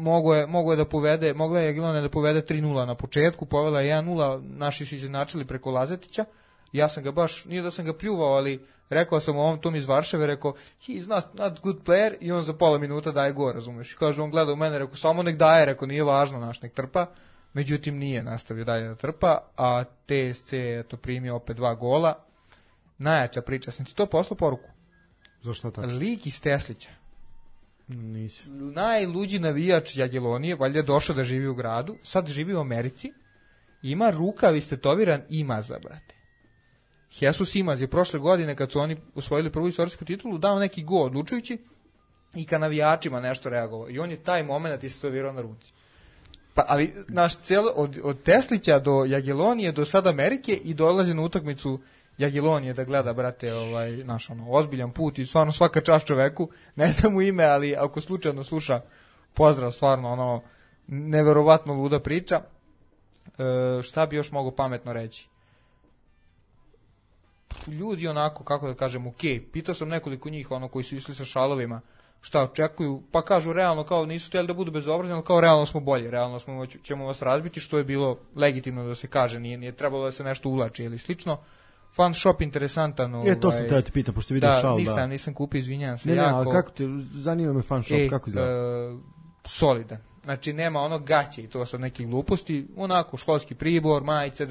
mogla je Jagiellonija da povede 3:0 na početku, povela je 1:0, naši su izjednačili preko Lazetića. Ja sam ga baš, nije da sam ga pljuvao, ali rekao sam ovom tom iz Varšave, rekao, he's not good player, i on za pola minuta daje gol, razumeš? Kaže, on gleda u mene, rekao, samo nek daje, rekao, nije važno, nek trpa. Međutim, nije nastavio dalje da trpa, a TSC je to primio opet 2 gola. Najjača priča, sam ti to poslao poruku. Zašto tako? Lik iz Teslića. Nisi. Najluđi navijač Jagiellonije, valjda je došao da živi u gradu, sad živi u Americi, ima rukav istetoviran Imaza, brate. Jesus Imaz je prošle godine, kad su oni osvojili prvu istorijsku titulu, dao neki gol odlučujući i ka navijačima nešto reagovao. I on je taj moment istetovirao na ruci. Pa, ali naš od Teslića do Jagiellonije do sad Amerike i dolazi na utakmicu Jagiellonije da gleda, brate, naš ozbiljan put i stvarno svaka čast čoveku, ne znam mu ime, ali ako slučajno sluša, pozdrav, stvarno neverovatno luda priča. Šta bi još mogo pametno reći? Ljudi onako, kako da kažem, pitao sam nekoliko njih, koji su išli sa šalovima, šta očekuju, pa kažu realno, kao nisu htjeli da budu bezobrazni, ali kao realno smo bolji, realno ćemo vas razbiti, što je bilo legitimno da se kaže, nije trebalo da se nešto uvlači ili slično. Fan shop interesantan. To sam te pitam, pošto vidio šal. Nisam kupio, izvinjam se. Ne, ali kako te, zanima me fan shop, kako izgleda? Solidan. Znači, nema ono gaće i to sad nekih gluposti, onako, školski pribor, majice,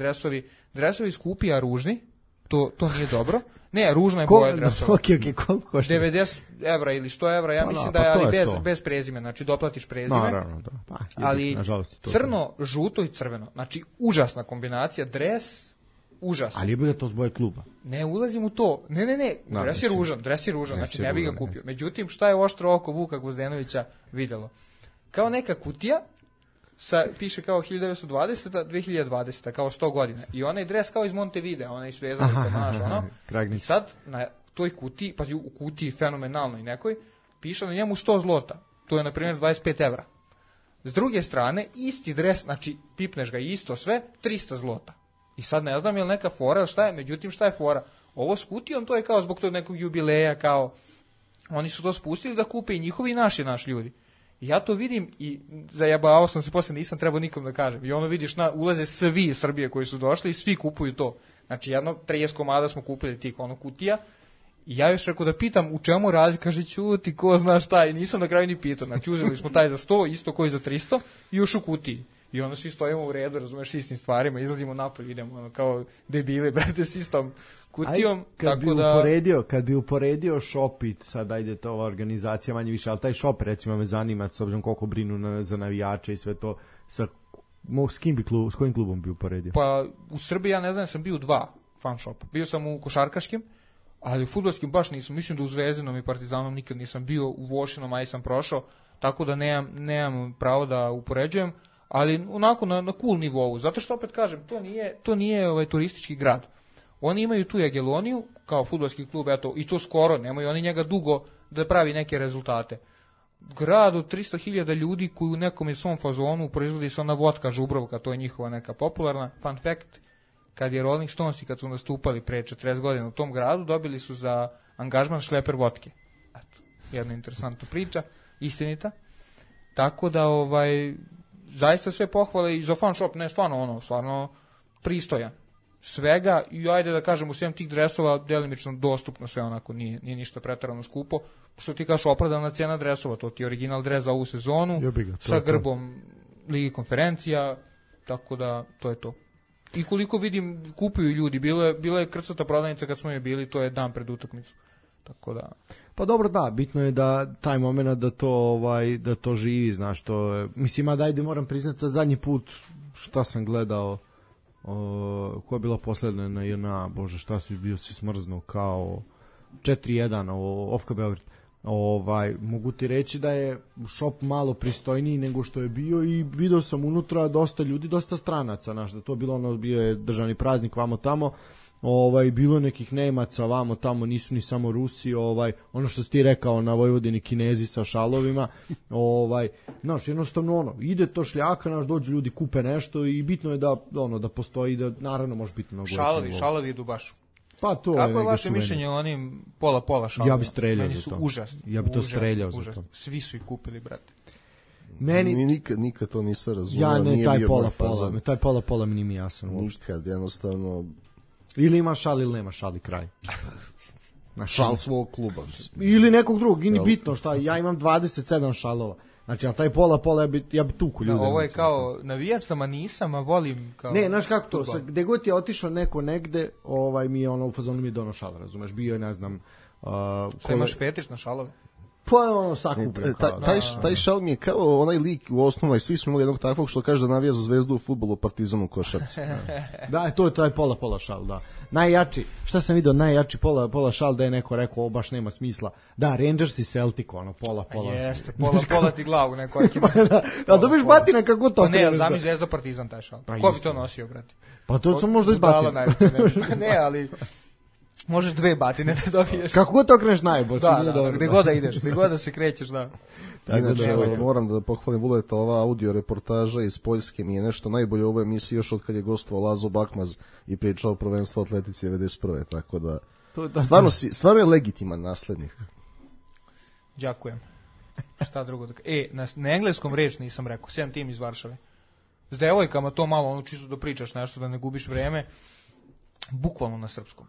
dresovi skupi, a ružni, to nije dobro. Ne, ružna je boja dresova. Koliko košta? 90 evra ili 100 evra, ja mislim da je, ali bez prezime, znači doplatiš prezime. Naravno, da. Ali crno, žuto i crveno, znači užasna kombinacija, dres, užasno. Ali je bude to s boje kluba. Ne ulazim u to. Ne, dres je ružan, znači ne bih ga kupio. Međutim, šta je oštro oko Vuka Gvozdenovića videlo? Kao neka kutija, piše kao 1920. 2020. kao 100 godina. I onaj dres kao iz Montevidea, onaj s vezanicama, i sad na toj kutiji, pazi, u kutiji fenomenalnoj nekoj, piše na njemu 100 zlota. To je, na primjer, 25 evra. S druge strane, isti dres, znači, pipneš ga isto sve, 300 zlota. I sad ne znam je li neka fora, šta je, međutim, šta je fora? Ovo s kutijom, to je kao zbog tog nekog jubileja, kao, oni su to spustili da kupe i njihovi i naši ljudi. I ja to vidim i zajebavao sam se, poslije nisam trebao nikom da kažem. I vidiš, ulaze svi iz Srbije koji su došli i svi kupuju to. Znači, 30 komada smo kupili tih kutija. I ja još rekao da pitam u čemu razlika, kaže, ćuti, ko zna šta, i nisam na kraju ni pitao. Znači, uzeli smo taj za 100, isto koji za 300 i još u kutiji. I onda svi stojimo u redu, razumeš, istim stvarima, izlazimo napolje, idemo kao debili, brate, s istom kutijom. Kad bi uporedio Shopit, sad ajde to ova organizacija manje više, ali taj Shop, recimo, me zanima, s obzirom koliko brinu za navijače i sve to, s kojim klubom bi uporedio? Pa, u Srbiji, ja ne znam, sam bio u 2 fan shopa. Bio sam u košarkaškim, ali u fudbalskim baš nisam. Mislim da u Zvezdinom i Partizanom nikad nisam bio, u Vošinom, aj sam prošao, tako da nemam pravo da upoređujem, ali onako na cool nivou, zato što opet kažem, to nije turistički grad. Oni imaju tu Jagielloniju kao fudbalski klub, eto, i to skoro, nemaju oni njega dugo da pravi neke rezultate. Grad od 300.000 ljudi koji u nekom je svom fazonu proizvodi se ona vodka Žubrovka, to je njihova neka popularna. Fun fact, kad je Rolling Stones i kad su nastupali pre 40 godina u tom gradu, dobili su za angažman šleper vodke. Eto, jedna interesantna priča, istinita. Tako da, zaista sve pohvale i za fan shop, ne, stvarno pristojan. Svega, i ajde da kažem, u svem tih dresova delimično dostupno sve, onako, nije ništa preterano skupo, što ti kažeš opravdana cena dresova, to ti je original dres za ovu sezonu, sa grbom Ligi konferencija, tako da to je to. I koliko vidim, kupuju ljudi, bila je krcata prodavnica kad smo je bili, to je dan pred utakmicu, tako da... Pa dobro, da, bitno je da taj moment da to živi, znaš, to, mislim, ajde moram priznati, zadnji put šta sam gledao, koja je bila posljedna na JNA, bože, šta su bio si smrznuo, kao 4-1, Ofka Beograd. Mogu ti reći da je shop malo pristojniji nego što je bio i video sam unutra dosta ljudi, dosta stranaca, znaš, da to bilo bio je državni praznik vamo tamo, bilo je nekih Nemaca vamo tamo, nisu ni samo Rusi, ono što si ti rekao na Vojvodini, Kinezi sa šalovima, znaš, jednostavno ide to šljaka, znaš, dođu ljudi, kupe nešto i bitno je da postoji, da naravno može biti mnogo. Šalovi idu baš. Pa to kako je vaše mišljenje o onim pola šalovima? Ja bi streljao za to. Ja bi to streljao za to. Svi su ih kupili, brate. Meni nikad to nisam razumio. ja ne, nije taj bio moj fazon. pola, taj pola mi nije mi jasan uopšte. Nikad, jednostavno... Ili ima šal ili nema šal i kraj. Šal svog kluba. Ili nekog drugog, i ni bitno šta, ja imam 27 šalova. Znači, ali taj pola ja bi tuku ljude. Ovo je kao navijač sam, a nisam, a volim kao... Ne, znaš kako to, gde god je otišao neko negde, mi je ono, u fazonu mi je dono šala, razumeš, bio je, ne znam... Šta imaš fetiš na šalove? Pa je ono sakupio. Taj šal mi je kao onaj lik u osnovnoj, svi smo imali jednog takvog što kaže da navija za Zvezdu u fudbalu, Partizanu u košarci. Da, to je taj pola šal, da. Najjači, šta sam vidio, najjači pola šal da je neko rekao, baš nema smisla. Da, Rangers i Celtic, ono, pola. Jeste, pola ti glavu neko. Da, dobiš batina kako to. Pa ne, ali zami Zvezda Partizan taj šal. Ko bi to nosio, brate? Pa to sam možda i batina. Ne, ali... Možeš 2 batine da dobiješ. Kako god to kreneš najbolje. Da, gde god da ideš, gde god da se krećeš, da. Inače, moram da pohvalim Vuleta, ova audio reportaža iz Poljske mi je nešto najbolje u ovoj emisiji još od kad je gostovao Lazo Bakmaz i pričao o prvenstvu atletici 91. Tako da, stvarno je legitiman naslednik. Đakujem. Šta drugo da... na engleskom reč nisam rekao, sem tim iz Varšave. S devojkama to malo, ono čisto da pričaš nešto, da ne gubiš vreme. Bukvalno na srpskom.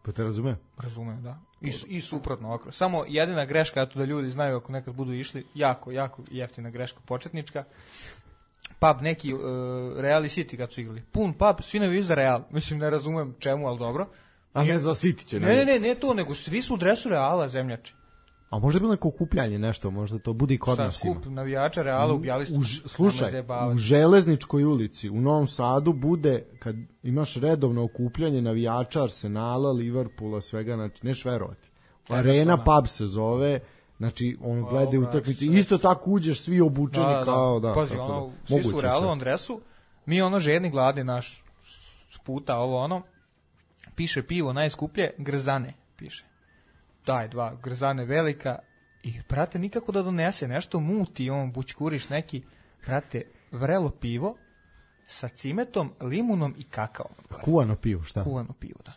Pa te razume? Razumem, da. I suprotno ovako. Samo jedina greška, eto da ljudi znaju ako nekad budu išli, jako jeftina greška početnička. Pub neki Real i City kad su igrali. Pun pub, svi navijaju za Real. Mislim, ne razumem čemu, ali dobro. A ne za City će. Ne to, nego svi su u dresu Reala, zemljači. A možda je bilo neko okupljanje, nešto, možda to bude i kod nas. Skup navijača Reala u Bjelistu. Slušaj, u Železničkoj ulici u Novom Sadu bude, kad imaš redovno okupljanje navijača Arsenala, Liverpoola, svega, znači, neš verovati. Arena pub se zove, znači, on gleda utakmice, isto tako uđeš svi obučeni kao, da. Pazi, ono, svi su u Realovom dresu, mi ono žedni gladi naš sputa, ovo ono, piše pivo najskuplje, Grzane, piše. Daj, 2 Grzane velika i, brate, nikako da donese nešto, muti on, bućkuriš neki, brate, vrelo pivo sa cimetom, limunom i kakaom. Kuvano pivo, šta? Kuvano pivo, da.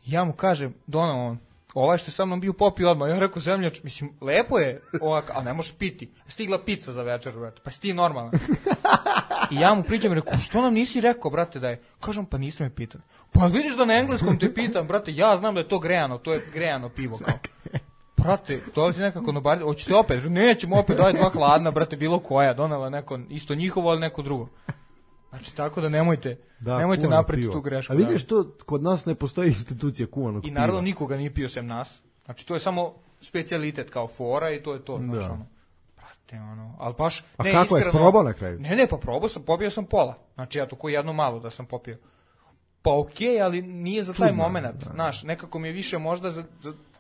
Ja mu kažem, donao on, ovaj što je sa mnom bio popio odmah, ja rekao, zemljač, mislim, lepo je ovak, ali ne možeš piti. Stigla pizza za večer, brate, pa si ti normalan. I ja mu pričam i rekao, što nam nisi rekao, brate, da je? Kažem, pa niste me pitali. Pa vidiš da na engleskom te pitam, brate, ja znam da je to grejano, to je grejano pivo, kao. Brate, dolazi nekako na bar, hoćete opet? Nećemo opet, daj 2 hladna, brate, bilo koja, donela neko, isto njihovo, ali neko drugo. Znači, tako da nemojte napraviti tu grešku. A vidiš, to kod nas ne postoji institucija kuvanog piva. I naravno nikoga nije pio sem nas. Znači, to je samo specijalitet kao fora i to je to. Znači, ono, brate, ono, ali baš... A ne, kako iskreno, je, probao na kraju? Ne, pa probao sam, popio sam pola. Znači, ja to ko jedno malo da sam popio. Pa okej, ali nije za taj moment. Znaš, nekako mi je više možda za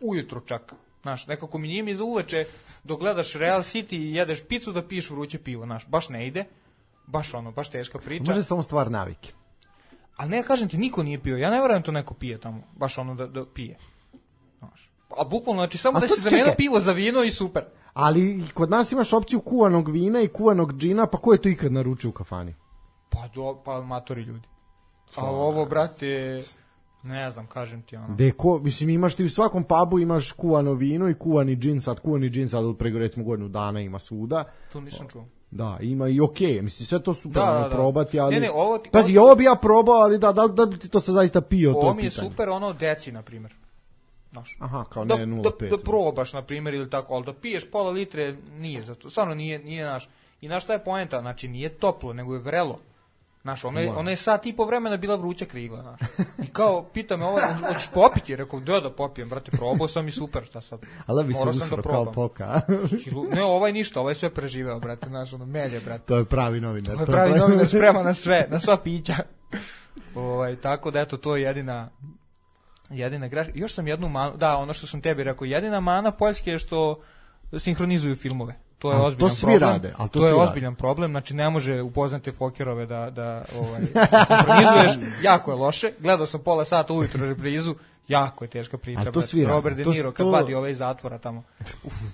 ujutro čak. Znaš, nekako mi nije mi za uveče dok gledaš Real City i jedeš picu da piješ vruće pivo. Znaš, baš ne ide. Baš teška priča. Može samo stvar navike. Ali ne, kažem ti, niko nije pio. Ja ne verujem to neko pije tamo. Baš ono da pije. Znaš. A bukvalno, znači, samo da se zamenilo pivo za vino i super. Ali kod nas imaš opciju kuvanog vina i kuvanog džina, pa ko je to ikad naručio u kafani? Pa amatori ljudi. A ovo, brate, ne znam, kažem ti ono. Mislim, imaš ti u svakom pubu imaš kuvano vino i kuvani džin, sad prego recimo godinu dana ima svuda. To nisam čuo. Da, ima i okej, mislim, sve to super probati, ali... Ne, pazi, ovo bi ja probao, ali da bi ti to se zaista pio, to pitanje. Ovo mi je super, ono, deci, na primjer. Znaš. Aha, kao ne 0,5. Da probaš, na primjer, ili tako, ali da piješ pola litre, nije za to, stvarno nije naš. I znaš šta je poenta, znači, nije toplo, nego je vrelo. Znaš, ona je sat i po vremena bila vruća krigla, znaš. I kao, pita me hoćeš popiti? Rekao, da popijem, brate, probao sam i super, šta sad. Ali bi se usro kao poka. Ne, ovaj ništa, ovaj sve preživeo, brate, znaš, ono, melje, brate. To je pravi novinar. To je pravi novinar, sprema na sve, na sva pića. Tako da, eto, to je jedina greška. Još sam jednu manu, da, ono što sam tebi rekao, jedina mana Poljske je što sinhronizuju filmove. To je ozbiljan problem. To je ozbiljan problem, znači ne može upoznate Fokerove da sinhronizuješ, jako je loše. Gledao sam pola sata ujutro reprizu, jako je teška priča. Robert De Niro kad vadi ovaj zatvora tamo.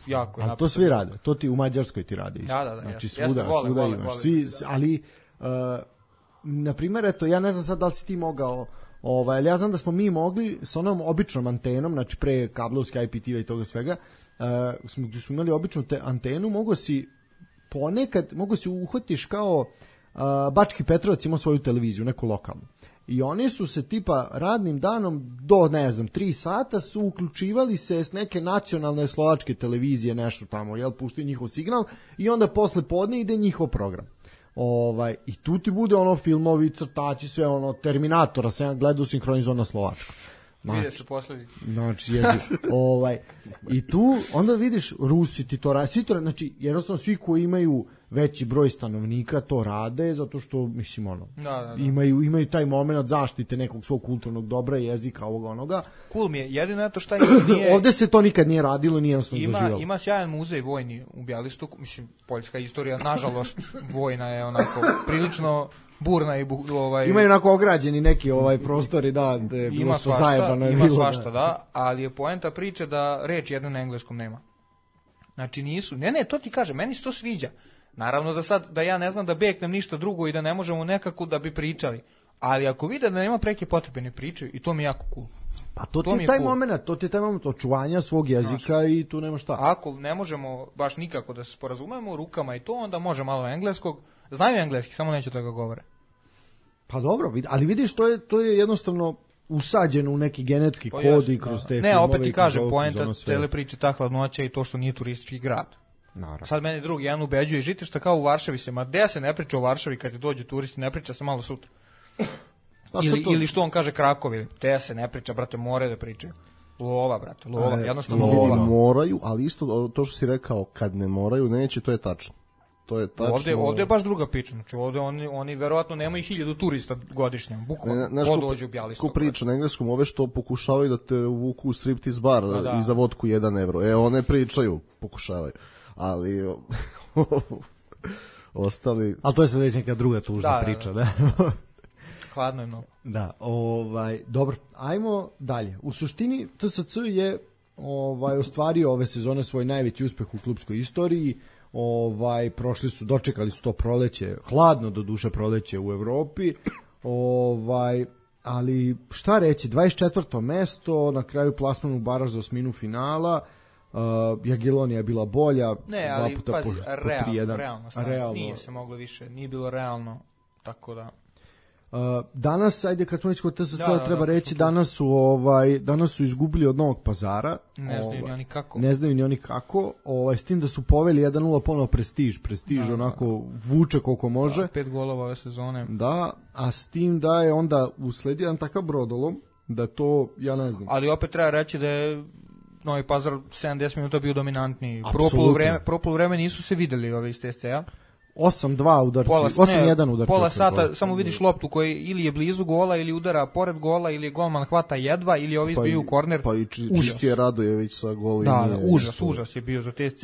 Jako je. Ali to svi rade. To ti u Mađarskoj ti radi. Da. Znači svuda imaš. Svi, ali na primjer, eto, ja ne znam sad da li si ti mogao, ali ja znam da smo mi mogli s onom običnom antenom, znači pre kablovske IPTV i toga svega, smo imali običnu antenu, mogo si ponekad mogu se uhvatiš kao Bački Petrovac ima svoju televiziju, neku lokalnu. I oni su se tipa radnim danom do, ne znam, 3 sata su uključivali se s neke nacionalne slovačke televizije, nešto tamo, jel, puštaju njihov signal i onda posle podne ide njihov program. I tu ti bude ono filmovi, crtači, sve ono, Terminatora, sam ja gledao sinhronizovan na slovačko. Vide se posledice. Znači, i tu onda vidiš Rusi ti to rade, svi to rade, znači jednostavno svi koji imaju veći broj stanovnika to rade, zato što, mislim, ono, da. Imaju taj moment zaštite nekog svog kulturnog dobra, jezika, ovoga, onoga. Cool mi je, jedino je to šta nije... Ovde se to nikad nije radilo, nije jednostavno zaživalo. Ima sjajan muzej vojni u Bjelistoku, mislim, poljska istorija, nažalost, vojna je onako prilično burna i imaju onako ograđeni neki prostori, da, je bilo svašta, zajebano je ima bilo. Svašta, da, ali je poenta priče da reč jedno na engleskom nema. Znači nisu, ne, to ti kaže, meni se to sviđa. Naravno da sad, da ja ne znam da beknem ništa drugo i da ne možemo nekako da bi pričali. Ali ako vide da nema preke potrebe ne pričaju, i to mi je jako cool. Pa to ti je taj moment, to ti je taj moment očuvanja svog jezika i tu nema šta. Ako ne možemo baš nikako da se sporazumemo rukama i to, onda može malo engleskog. Znaju engleski, samo neće da ga govore. Pa dobro, ali vidiš, to je jednostavno usađeno u neki genetski kod i kroz te filmove. Ne, opet ti kažem, poenta cele priče ta hladnoća i to što nije turistički grad. Naravno. Sad meni drugi jedan ubeđuje, žite šta kao u Varšavi se, ma gde se ne priča o Varšavi kad ti dođu turisti, ne priča se malo sutra. Ili što on kaže Krakovi, te se ne priča, brate, more da pričaju. Lova, brate, lova, jednostavno lova. Moraju, ali isto to što si rekao, kad ne moraju, neće, to je tačno. To je tačno. Ovde je baš druga priča, znači ovde oni verovatno nemaju 1000 turista godišnje, bukvalno, dođu u Bjelistok. Ko priča na engleskom, ove što pokušavaju da te uvuku u striptease bar i za vodku 1 evro. One pričaju, pokušavaju. Ali ostali... Ali to je sad već neka druga tužna priča, da. Hladno je mnogo. Da, dobro, ajmo dalje. U suštini TSC je ostvario ove sezone svoj najveći uspeh u klubskoj istoriji. Dočekali su to proleće, hladno do duše proleće u Evropi. Ali šta reći, 24. mesto, na kraju plasman u baraž za osminu finala. Jagiellonija je bila bolja, ali puta pazi, po 3-1. Realno. Nije se moglo više, nije bilo realno, tako da... Danas, ajde kad smo već kod TSC, treba reći, danas su izgubili od Novog Pazara. Ne znaju ni oni kako. Ne znaju ni oni kako, s tim da su poveli 1-0 ponovo Prestiž onako vuče koliko može. 5 golova ove sezone. Da, a s tim da je onda usledio jedan takav brodolom, da to, ja ne znam. Ali opet treba reći da je Novi Pazar 70 minuta bio dominantniji. Prvo poluvreme nisu se videli ove iz TSC-a. 8-2 udarci, 8-1 udarci. Pola sata, samo vidiš loptu koji ili je blizu gola, ili udara pored gola, ili je golman hvata jedva, ili ovi izbiju u korner. Pa i Čistije Radojević sa golom. Da, užas je bio za TSC.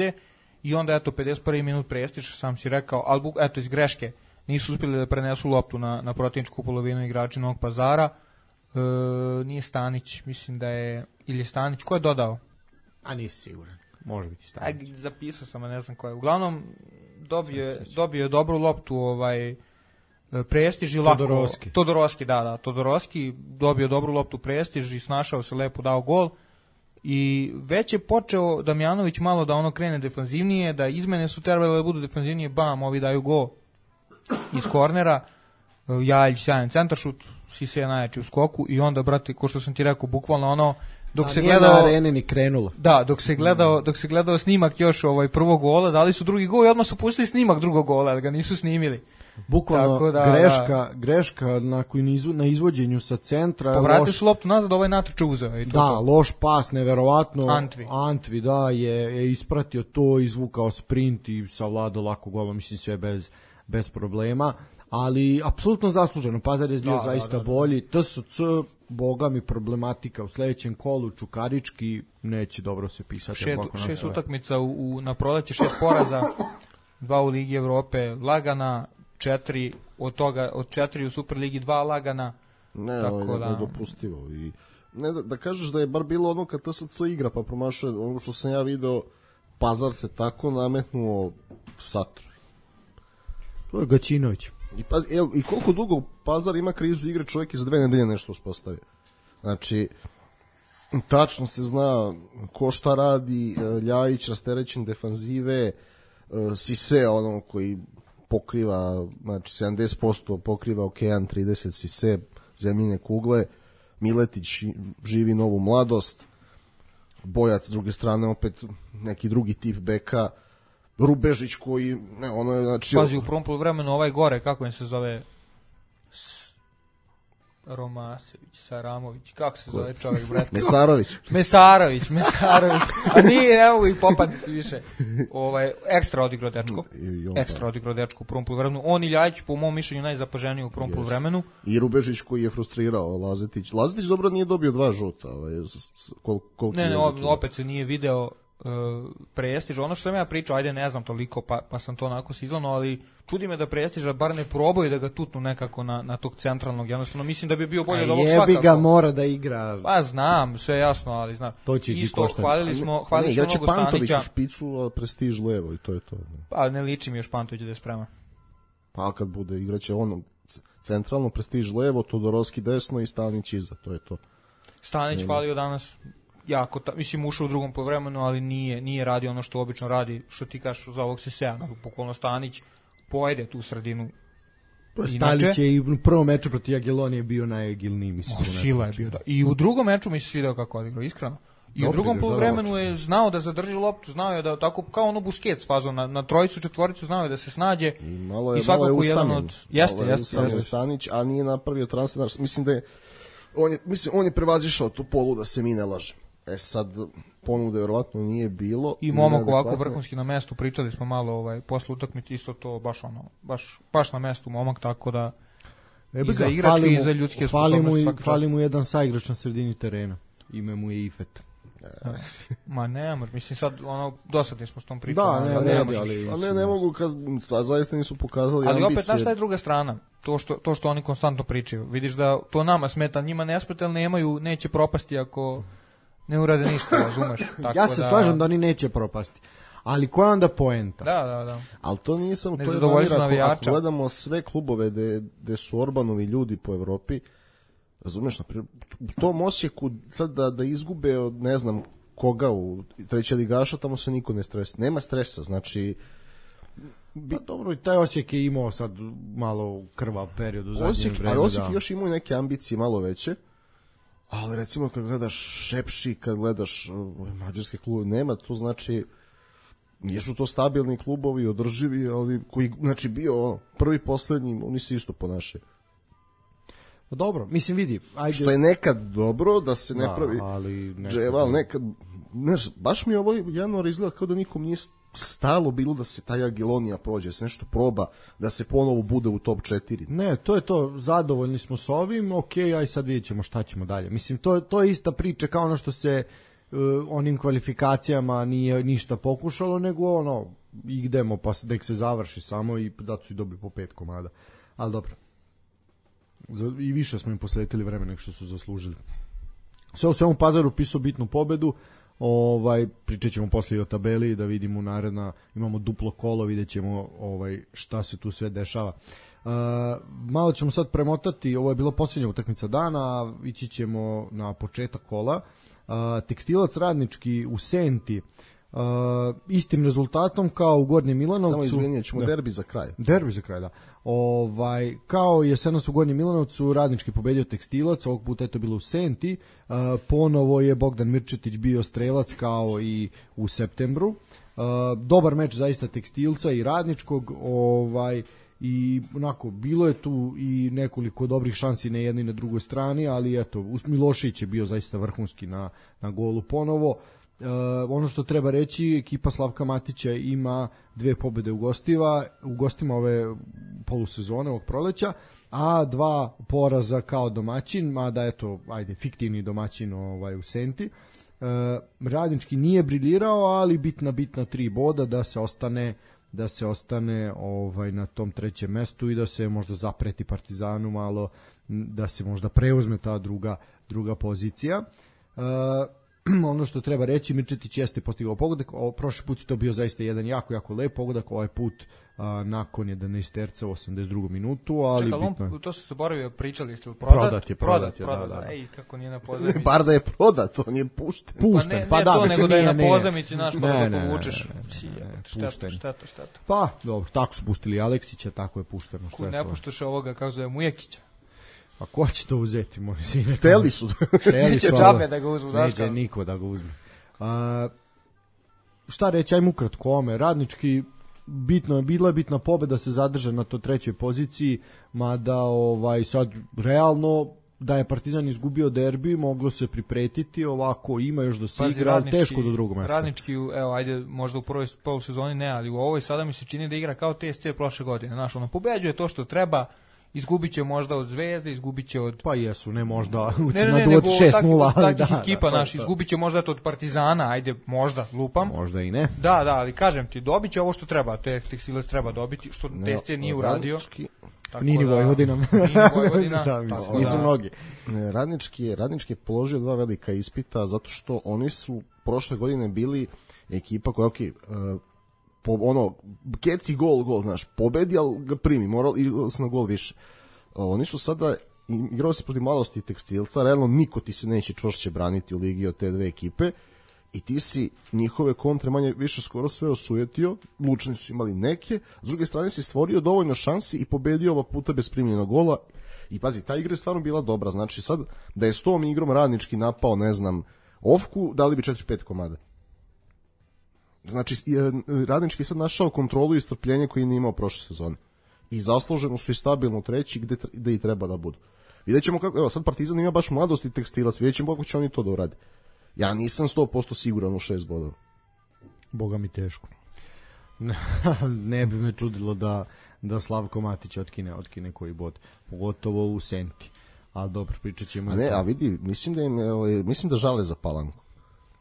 I onda, eto, 51. minut Prestiž, sam si rekao, ali eto, iz greške nisu uspjeli da prenesu loptu na protivničku polovinu igrači Novog Pazara. Nije Stanić, mislim da je, ili je Stanić, ko je dodao? A nisi siguran, može biti Stanić. Zapisao sam, a ne znam ko je. Uglavnom, dobio je dobru loptu Prestiž i lako... Todorovski dobio dobru loptu Prestiž i snašao se lepo, dao gol. I već je počeo Damjanović malo da ono krene defanzivnije, da izmene su trebale da budu defanzivnije, bam, ovi daju gol iz kornera. Jaljić sjajan centaršut, Sise najjači u skoku i onda, brate, ko što sam ti rekao, bukvalno ono, dok se gledao na areni ni krenulo. Da, dok se gledao snimak još prvog gola, dali su drugi gol i odmah su pustili snimak drugog gola, ali ga nisu snimili. Bukvalno greška na izvođenju sa centra. Povratili su loptu nazad, natrče uzeo. Loš pas, neverovatno. Antvi, da, je ispratio to, izvukao sprint i savladao lako gola, mislim sve bez problema. Ali apsolutno zasluženo, Pazar je bio zaista bolji. TSC, boga mi, problematika u sledećem kolu, Čukarički neće dobro se pisati. 6 utakmica na proleće, 6 poraza, 2 u Ligi Evrope lagana, 4 od toga, od 4 u Superligi 2 lagana. Ne, ovo je nedopustivo. I ne, da kažeš da je bar bilo ono kad TSC igra pa promašuje, ono što sam ja video, Pazar se tako nametnuo Satru. To je Gaćinović. I koliko dugo Pazar ima krizu igre, čovjek je za 2 nedelje nešto uspostavio. Znači, tačno se zna ko šta radi, Ljajić rasterećen defanzive, Sise, ono koji pokriva, znači 70% pokriva okean, 30 Sise, zemljine kugle, Miletić živi novu mladost, Bojac s druge strane opet neki drugi tip beka, Rubežić koji ne, ono je znači pazi u prvom poluvremenu ovaj gore kako im se zove Romasević, Saramović, kako se zove čovjek, brate? Mesarović. A nije, ne mogu ih popaditi više. Ekstra odigrao dečko u prvom poluvremenu. On i Ljajić, po mom mišljenju, najzapaženiji u prvom poluvremenu. I Rubežić koji je frustrirao Lazetić. Lazetić dobro nije dobio 2 žuta. Ne, opet se nije video Prestiž. Ono što sam ja pričao, ajde ne znam toliko, pa sam to onako sizlano, ali čudi me da Prestiža bar ne probaju da ga tutnu nekako na tog centralnog. Jednostavno mislim da bi bio bolje od ovog svakako. Jebi ga, mora da igra. Pa znam, sve jasno, ali znam. Isto hvalili smo mnogo Pantović u špicu, a Prestiž levo i to je to. Pa ne liči mi još Pantović da je spreman. Pa kad bude igraće ono centralno, Prestiž levo, Todorovski desno i Stanić iza, to je to. Stanić hvalio danas jako, mislim ušao u drugom povremenu, ali nije radio ono što obično radi, što ti kažeš za ovog Sesea, bukvalno Stanić pojede tu sredinu. Stanić je i u prvom meču protiv Jagiellonije bio najagilniji, mislim. Sila je bio, da. I u drugom meču mi se svidio kako odigrao, iskreno. I u drugom poluvremenu je znao da zadrži loptu, znao je da tako kao ono Busquets fazon na trojicu, četvoricu, znao je da se snađe. I svakako jedan od jeste Stanić, a nije napravio transfer. Mislim da je on je prevazišao tu polu, da se mi ne lažemo. Sad ponude verovatno nije bilo. I momak ovako vrhunski na mestu, pričali smo malo posle utakmice, isto to baš na mestu momak, tako da i za igračke i za ljudske sposobnosti. Fali mu jedan saigrač na sredini terena. Ime mu je Ifet. Ma ne može, mislim sad dosadni smo s tom pričom. Ne mogu kad zaista nisu pokazali ambicije. Ali opet znaš šta je druga strana, to što oni konstantno pričaju. Vidiš da to nama smeta, njima ne smeta, ali neće propasti ako ne urade ništa, razumeš? Ja se slažem da oni neće propasti. Ali koja onda poenta? Da. Ali to nije samo, to je manira, ako gledamo sve klubove gde su Orbanovi ljudi po Evropi, razumeš, naprijed, u tom Osijeku sad da izgube od ne znam koga u treće ligaša, tamo se niko ne stresa. Nema stresa, znači... Pa dobro, i taj Osijek je imao sad malo krvav period u zadnjem vremenu. Ali Osijek još imao neke ambicije malo veće, ali recimo kad gledaš Šepši, kad gledaš mađarske klube, nema, to znači... Nisu to stabilni klubovi, održivi, ali koji, znači, bio prvi, poslednji, oni se isto ponašaju. Dobro, mislim vidi. Ajde. Što je nekad dobro da se ne pravi dževa, ali nekad, znaš, baš mi ovo januar izgleda kao da nikom nije stalo bilo da se ta Jagiellonija prođe, da se nešto proba, da se ponovo bude u top 4. Ne, to je to, zadovoljni smo s ovim, aj sad vidjet ćemo šta ćemo dalje. Mislim, to je ista priča kao ono što se onim kvalifikacijama nije ništa pokušalo, nego idemo pa da se završi samo i da su i dobili po 5 komada. Ali dobro. I više smo im posvetili vremena nego što su zaslužili. Sve u svemu Pazar upisao bitnu pobedu. Pričat ćemo poslije o tabeli da vidimo naredna, imamo duplo kolo, vidjet ćemo šta se tu sve dešava. Malo ćemo sad premotati, ovo je bila posljednja utakmica dana, ići ćemo na početak kola. Tekstilac Radnički u Senti, istim rezultatom kao u Gornjem Milanovcu. Samo izvinjat ćemo, derbi za kraj. Derbi za kraj, da. Kao jesenas u Gornjem Milanovcu, Radnički pobedio Tekstilac, ovog puta je to bilo u Senti. Ponovo je Bogdan Mirčetić bio strelac kao i u septembru. Dobar meč zaista Tekstilca i Radničkog, i onako, bilo je tu i nekoliko dobrih šansi na jednoj i na drugoj strani, ali eto, Milošić je bio zaista vrhunski na golu ponovo. Ono što treba reći, ekipa Slavka Matića ima 2 pobede u gostima ove polusezone, ovog proleća, a 2 poraza kao domaćin, mada eto, fiktivni domaćin u Senti. Radnički nije briljirao, ali bitna 3 boda da se ostane na tom 3. mestu i da se možda zapreti Partizanu malo, da se možda preuzme ta druga pozicija. ono što treba reći, Mirčetić jeste postigao pogodak, prošli put je to bio zaista jedan jako lep pogodak, ovaj put nakon 11 terca u 82. minutu, ali čekaj, bitno. To se zaboravio, pričali ste, prodat je, da. Ej, kako nije na pozemici. Bar da je prodat, on je pušten. Pa da, nego da je na pozemici, znaš, pa da ga povučeš. Šteta. Pa, dobro, tako su pustili Aleksića, tako je pušteno. Ko ne puštaš ovoga, kako zove, Mujekića. A ko će to uzeti, moj sine? Hteli su. Neće džabe da ga uzmu. Neće niko da ga uzme. Šta reći, ajmo ukratko ome. Radnički, bila je bitna pobeda, se zadrža na to trećoj poziciji, mada sad realno da je Partizan izgubio derbi, moglo se pripretiti, ovako ima još da se igra, ali teško do drugog mesta. Radnički, evo, ajde, možda u prvoj polusezoni ne, ali u ovoj sada mi se čini da igra kao TSC prošle godine. Znaš, ono, pobeđuje to što treba, izgubit će možda od Zvezde, izgubit će od... Pa jesu, ne možda, nego 6-0, ali takih ekipa, naš, izgubit će možda od Partizana, ajde, možda, lupam. Možda i ne. Da, ali kažem ti, dobit će ovo što treba, Tekstilac treba dobiti, što TSC nije uradio. Nini Vojvodina. Da, nisu mnogi. Radnički je položio 2 velika ispita, zato što oni su prošle godine bili ekipa koja, keci gol, znaš, pobedi, ali ga primi, moral i se na gol više. Oni su sada igrali se protiv Mladosti i Tekstilca, realno niko ti se neće čvršće braniti u ligi od te dve ekipe i ti si njihove kontre manje više skoro sve osujetio, Lučani su imali neke, s druge strane si stvorio dovoljno šansi i pobedio ova puta bez primljenog gola i pazi, ta igra je stvarno bila dobra, znači sad da je s tom igrom Radnički napao, ne znam, Ofku, dali bi 4-5 komada. Znači, Radnički je sad našao kontrolu i strpljenje koje nije imao prošle sezone. I zasluženo su i stabilno treći gde i treba da budu. Vidjet ćemo kako, evo sad Partizan ima baš Mladost i Tekstilac, vidjet ćemo kako će oni to da urade. Ja nisam 100% siguran u 6 bodova. Boga mi teško. Ne bi me čudilo da Slavko Matić otkine koji bod, pogotovo u Senti. Ali dobro, pričat ćemo. A vidi, mislim da žale za Palanku.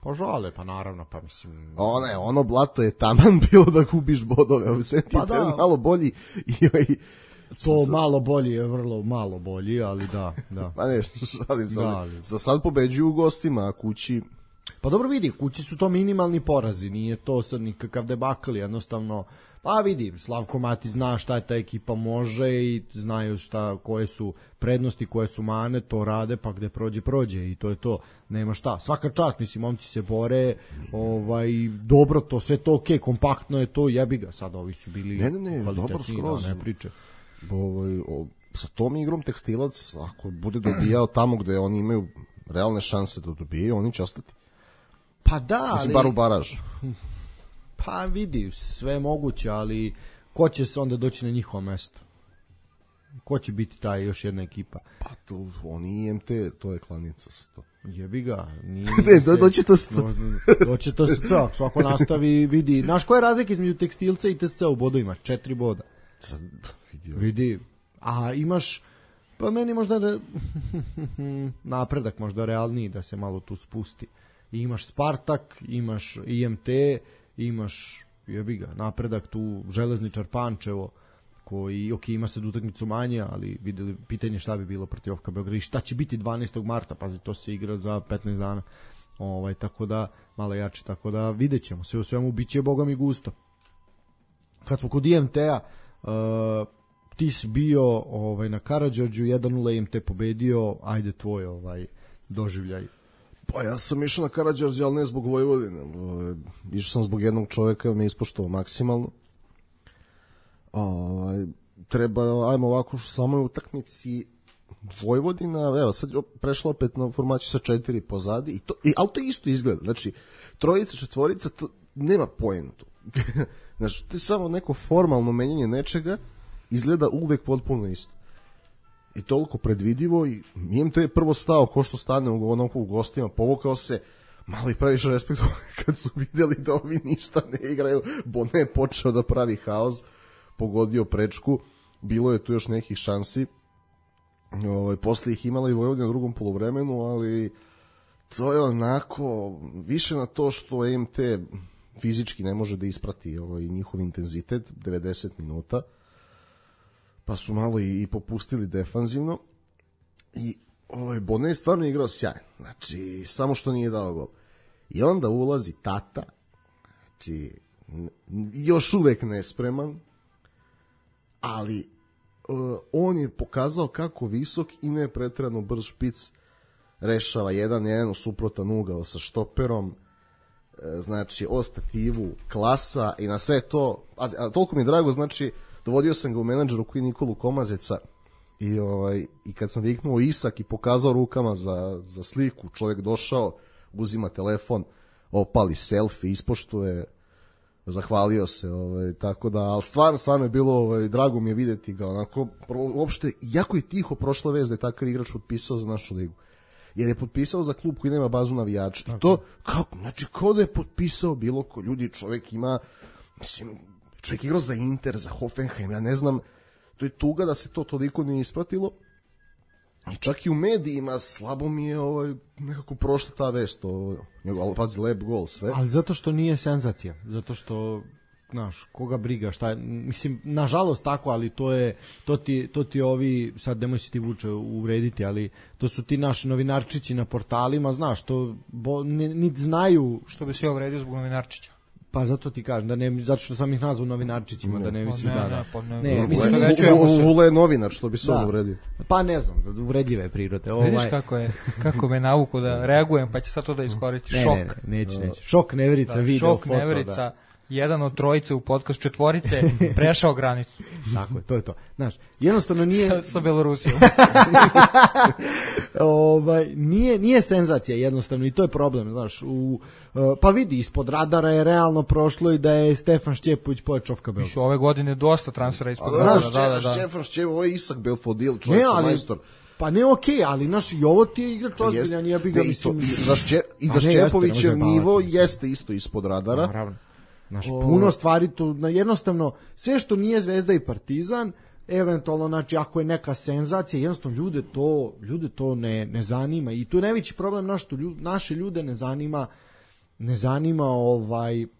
Pa žale, pa naravno, pa mislim... Ono blato je taman bilo da gubiš bodove, u Senti je malo bolji i... To malo bolji je vrlo malo bolji, ali da. Pa ne, šalim se, za sad pobeđuju u gostima, a kući... Pa dobro vidi, kući su to minimalni porazi, nije to sad nikakav debakl, jednostavno... Pa vidi, Slavko Mati zna šta je ta ekipa može i znaju koje su prednosti, koje su mane, to rade, pa gde prođe i to je to, nema šta. Svaka čast, mislim, momci se bore, dobro to, sve to okej, kompaktno je to, jebi ga, sad ovi su bili dobro skroz. Ne priče. Sa tom igrom Tekstilac, ako bude dobijao tamo gde oni imaju realne šanse da dobijaju, oni će ostati. Pa da, mislim, bar u baraž. Pa vidi, sve je moguće, ali ko će se onda doći na njihovo mesto? Ko će biti taj još jedna ekipa? Pa to, oni IMT, to je klanica sa to. Jebi ga. Doći TSC. Doći TSC, svako nastavi, vidi. Znaš koja je razlika između Tekstilca i TSC u bodovima? 4 boda. Vidi. A imaš, pa meni možda napredak možda realniji da se malo tu spusti. I imaš Spartak, imaš IMT, imaš, jebi ga, napredak tu, Železničar Pančevo, koji, ima sad utakmicu manje, ali videli, pitanje šta bi bilo protiv OFK Beograd i šta će biti 12. marta, pazi, to se igra za 15 dana, tako da, malo jače, tako da vidjet ćemo, sve u svemu bit će boga mi gusto. Kad smo kod IMT-a, ti si bio na Karađorđu, 1-0 IMT pobedio, ajde tvoj doživljaj. Pa ja sam išao na Karađorđe, ali ne zbog Vojvodine. Išao sam zbog jednog čoveka, me ispoštovao maksimalno. Ajmo ovako, što samo je utakmici Vojvodina, evo sad prešla opet na formaciju sa 4 pozadi, ali to isto izgleda. Znači, trojica, četvorica, to nema pojentu. Znači, to je samo neko formalno menjanje nečega, izgleda uvek potpuno isto. I toliko predvidivo i IMT je prvo stao ko što stane u gostima, povukao se, malo i previše respektovao kad su videli da ovi ništa ne igraju, Bone je počeo da pravi haos, pogodio prečku, bilo je tu još nekih šansi, posle ih imala i Vojvodina u drugom poluvremenu, ali to je onako više na to što IMT fizički ne može da isprati njihov intenzitet, 90 minuta, pa su malo i popustili defanzivno i Bone je stvarno igrao sjajno, znači samo što nije dao gol. I onda ulazi tata, znači još uvek nespreman, ali on je pokazao kako visok i ne pretjerano brz špic rešava 1-1 u suprotan ugao sa štoperom, znači o stativu klasa i na sve to, a toliko mi je drago, znači dovodio sam ga u menadžeru koji Nikolu Komazeca i kad sam viknuo Isak i pokazao rukama za sliku, čovjek došao, uzima telefon, opali selfie, ispoštuje, zahvalio se, tako da, ali stvarno je bilo, drago mi je videti ga, onako, uopšte, jako je tiho prošla vez da je takav igrač potpisao za našu ligu, jer je potpisao za klub koji nema bazu navijača, i to, kao da je potpisao bilo ko, ljudi, čovjek ima, mislim, čovjek igrao za Inter, za Hoffenheim, ja ne znam, to je tuga da se to toliko nije ispratilo, i čak i u medijima slabo mi je nekako prošla ta vest, ali pazi, lep gol, sve. Ali zato što nije senzacija, zato što, znaš, koga briga, šta je, mislim, nažalost tako, ali to ti ovi, sad nemoj se ti Vuče uvrediti, ali to su ti naši novinarčići na portalima, znaš, to niti znaju. Što bi se uvredio zbog novinarčića? Pa zato ti kažem, da ne, zato što sam ih nazvao novinarčićima, da ne misliš da. Ne, mislim Vula je novinar, što bi se on uvredio. Pa ne znam, uvredljive prirode. Vidiš kako me navuku da reagujem, pa će sad to da iskoristi. Šok. Neće. Šok Neverica video foto. Šok Neverica, jedan od trojice u podcastu četvorice, prešao granicu. Tako je, to je to. Znaš, jednostavno nije... Sa Belorusijom. Nije senzacija jednostavno i to je problem, znaš. Pa vidi, ispod radara je realno prošlo i da je Stefan Šćepović Pojačovka Belfodil. Ove godine dosta transfera ispod radara. Da. Stefan Šćepović, ovo je Isak Belfodil, čovjek majstor. Pa ne okej, ali naš i ovo ti je igrač ozbiljan, ja bih ga mislim... I za Šćepovićev nivo jeste isto ispod radara. Naravno. Znaš, puno stvari tu, jednostavno, sve što nije Zvezda i Partizan, eventualno, znači, ako je neka senzacija, jednostavno ljude to ne zanima i tu je najveći problem, naše ljude ne zanima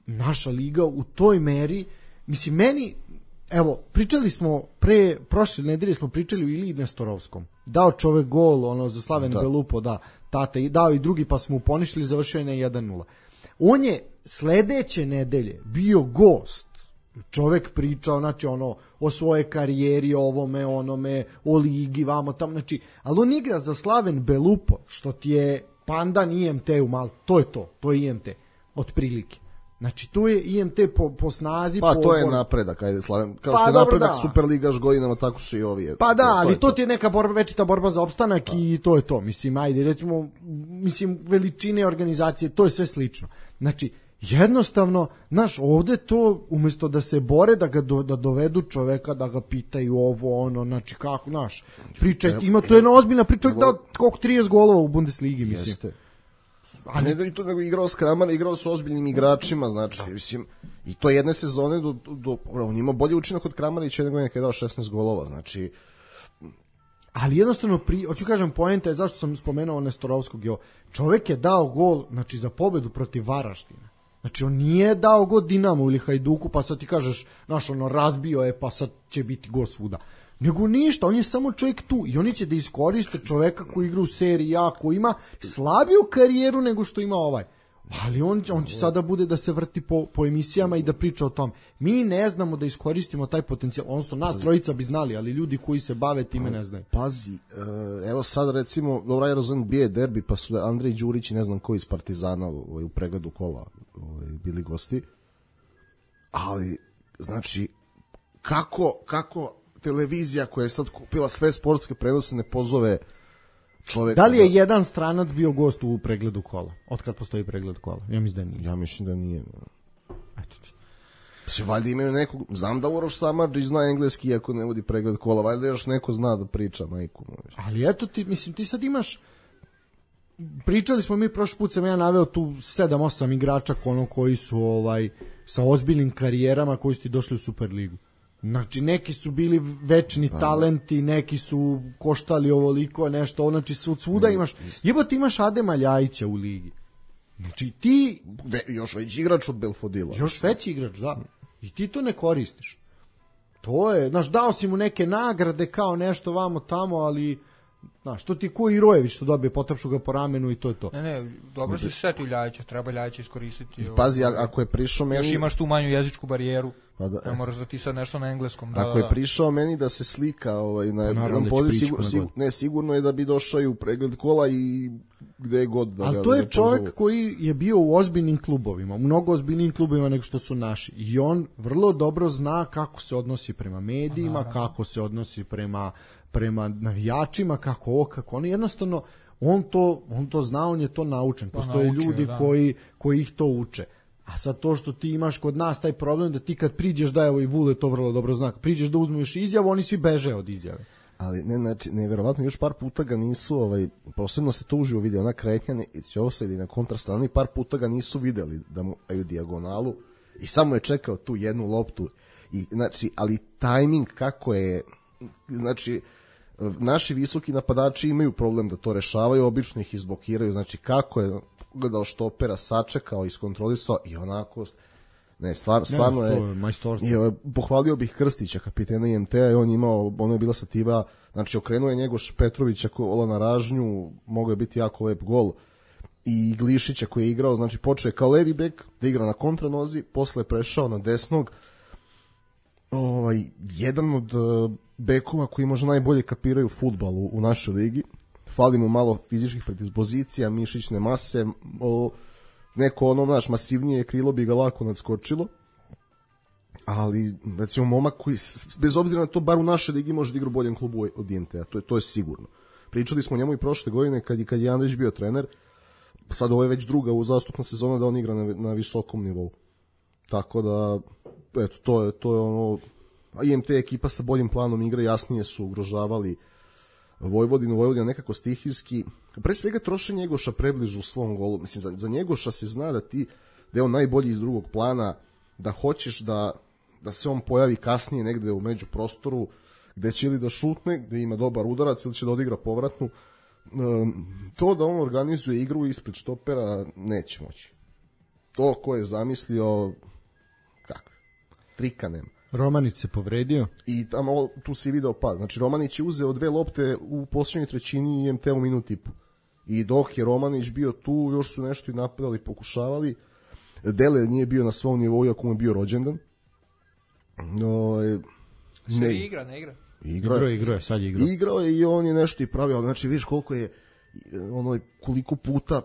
naša liga u toj meri, mislim, meni, evo, pričali smo prošle nedelje smo pričali o Iliji Nestorovskom, dao čovek gol, za Slaven Belupo, tata, i dao i drugi, pa smo poništili, završio je na 1-0. On je sledeće nedelje bio gost, čovek pričao, znači, o svojoj karijeri, ovome, onome, o ligi, vamo tamo, znači, ali on igra za Slaven Belupo, što ti je pandan IMT-u malo, to je IMT, otprilike. Znači, tu je IMT po snazi. Pa to je napredak, ajde Slaven. Kao što je napredak Superligaš godinama, tako su i ovi. Pa da, ali to ti je neka večita borba za opstanak i to je to. Mislim, ajde, recimo, veličine organizacije, to je sve slično. Znači, jednostavno, znaš, ovde to, umjesto da se bore, da dovedu čoveka, da ga pitaju ovo, znači, kako, znaš, pričaj, to je jedna ozbiljna priča, da koliko 30 golova u Bundesligi, mislim. Jeste. A nego igrao s Kramar, igrao s ozbiljnim igračima, znači, mislim, i to jedne sezone on ima bolji učinak od Kramarića nego nekada je dao 16 golova, znači. Ali jednostavno, hoću kažem, poenta je zašto sam spomenuo Nestorovskog, čovek je dao gol, znači, za pobedu protiv Varaždina. Znači, on nije dao gol Dinamu ili Hajduku, pa sad ti kažeš, znaš, razbio je, pa sad će biti gol svuda. Nego ništa, on je samo čovjek tu i oni će da iskoriste čoveka koji igra u seriji A, koji ima slabiju karijeru nego što ima ovaj. Ali on će sada bude da se vrti po emisijama i da priča o tom. Mi ne znamo da iskoristimo taj potencijal, odnosno nas trojica bi znali, ali ljudi koji se bave time ne znaju. Pazi, evo sad recimo, dobro, Aerozon bije derbi, pa su Andrej Đurić i ne znam koji iz Partizana u pregledu kola bili gosti. Ali, znači, kako televizija koja je sad kupila sve sportske prenose ne pozove čoveka. Da li je jedan stranac bio gost u pregledu kola? Otkad postoji pregled kola? Ja mislim da nije. Ja mislim da nije. Eto ti. Se valjda imaju nekog, znam da Uroš Samardžić zna engleski iako ne vodi pregled kola, valjda još neko zna da priča, majku. Ali eto ti, mislim, ti sad imaš, pričali smo mi prošli put, sam ja naveo tu 7-8 igrača koji su sa ozbiljnim karijerama koji su ti došli u Superligu. Znači, neki su bili večni talenti, neki su koštali ovoliko, nešto, znači svuda imaš, imaš Adema Ljajića u ligi. Znači, ti... Još veći igrač od Belfodila. Još veći igrač, da. I ti to ne koristiš. To je, znaš, dao si mu neke nagrade kao nešto vamo tamo, ali Znaš, to ti ko Irojević što dobije, potapšu ga po ramenu i to je to. Ne, dobro se setio Ljajića, treba Ljajića iskoristiti. Pazi, ako je prišao meni... Još imaš tu manju jezičku barijeru, pa da, ne moraš da ti sad nešto na engleskom. Ako je prišao meni da se slika na jednom pozivu, sigurno je da bi došao i u pregled kola i gde god da ga... Ali to je čovjek koji je bio u ozbiljnim klubovima, u mnogo ozbiljnim klubovima nego što su naši. I on vrlo dobro zna kako se odnosi prema medijima, kako se odnosi prema navijačima, kako ono, jednostavno on to zna, on je to naučen. Postoje ljudi koji ih to uče. A sad to što ti imaš kod nas taj problem da ti kad priđeš, da evo i Vule to vrlo dobro zna, priđeš da uzmeš izjavu, oni svi beže od izjave. Ali neverovatno još par puta ga nisu, posebno se to uživo vidio, ona kretnja će offside na kontrastrani, par puta ga nisu videli da mu daju dijagonalu i samo je čekao tu jednu loptu. I, znači, ali tajming kako je, znači, naši visoki napadači imaju problem da to rešavaju, obično ih izblokiraju, znači kako je gledao štopera, sačekao, iskontrolisao i onako, stvarno je majstorstvo. Pohvalio bih Krstića, kapitena IMT-a, i on je imao, ono je bila sativa, znači okrenuo je Njegoš Petrovića kola na ražnju, mogao je biti jako lep gol, i Glišića koji je igrao, znači počeo je kao levi bek da igra na kontranozi, posle je prešao na desnog, jedan od bekova koji možda najbolje kapiraju fudbal u našoj ligi. Fali mu malo fizičkih predispozicija, mišićne mase, neko naš masivnije krilo bi ga lako nadskočilo, ali recimo momak koji, bez obzira na to, bar u našoj ligi može da igra u boljem klubu od IMT-a, to je sigurno. Pričali smo o njemu i prošle godine kad je Andrić bio trener, sad ovo je već druga uzastopna sezona da on igra na visokom nivou. Tako da, eto, to je ono, IMT ekipa sa boljim planom igre, jasnije su ugrožavali Vojvodina nekako stihijski, pre svega troše Njegoša prebližu svom golu. Mislim, za Njegoša se zna da je on najbolji iz drugog plana, da hoćeš da se on pojavi kasnije negde u međuprostoru, gde će ili da šutne, gde ima dobar udarac, ili će da odigra povratnu. To da on organizuje igru ispred štopera neće moći. To ko je zamislio, kako? Trika nema. Romanić se povredio. I tamo tu si video pad. Znači Romanić je uzeo 2 lopte u posljednjoj trećini i IMT u minut i po. I dok je Romanić bio tu, još su nešto i napadali, pokušavali. Dele nije bio na svom nivou, iako mu je bio rođendan. Ne igra. Igrao, sad je igrao. Igrao je i on je nešto i pravio, znači vidiš koliko je, koliko puta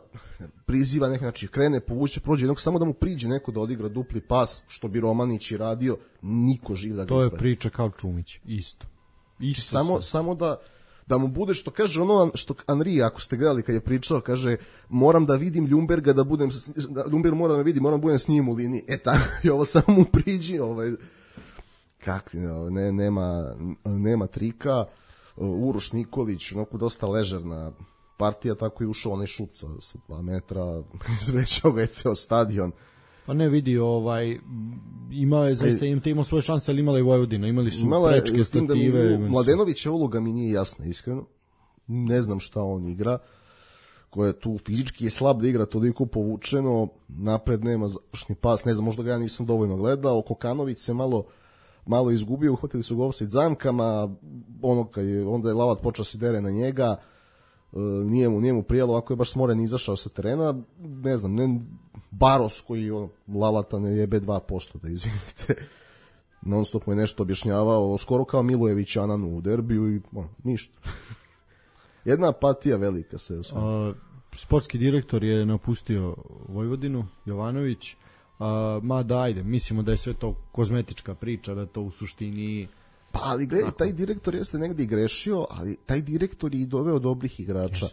priziva neko, znači krene, povuče, prođe jednog, samo da mu priđe neko da odigra dupli pas, što bi Romanić i radio, niko živ da ga to je priča kao Čumić, isto samo da mu bude, što kaže što Henri, ako ste gledali kad je pričao, kaže, moram da vidim Ljumberga, Ljumberg moram da vidim, moram da budem s njim u liniji, tako, i ovo samo mu priđi, kakvi, nema trika. Uroš Nikolić, dosta ležerna partija, tako i ušao onaj šut sa 2 metra, izvrečao ga je ceo stadion. Pa ne vidi, imao je zaista, imao svoje šanse, ali imala i Vojvodina, imali su prečke, stative. Mladenovića uloga mi nije jasna, iskreno. Ne znam šta on igra, koja je tu fizički je slab da igra toliko povučeno, napred nema završni pas, ne znam, možda ga ja nisam dovoljno gledao. Kokanović se malo izgubio, uhvatili su ga offside zamkama, onda je Lavat počeo se dere na njega, nije mu prijelo, ako je baš smoren izašao sa terena, ne znam, Baros koji Lavata ne jebe 2%, da izvinite, non stop mu je nešto objašnjavao, skoro kao Milojević Ananu u derbiju i ništa. Jedna apatija velika se osnovno. Sportski direktor je napustio Vojvodinu, Jovanović. Ajde, mislimo da je sve to kozmetička priča, da to u suštini... Pa, ali gledaj, taj direktor jeste negdje i grešio, ali taj direktor je i doveo dobrih igrača.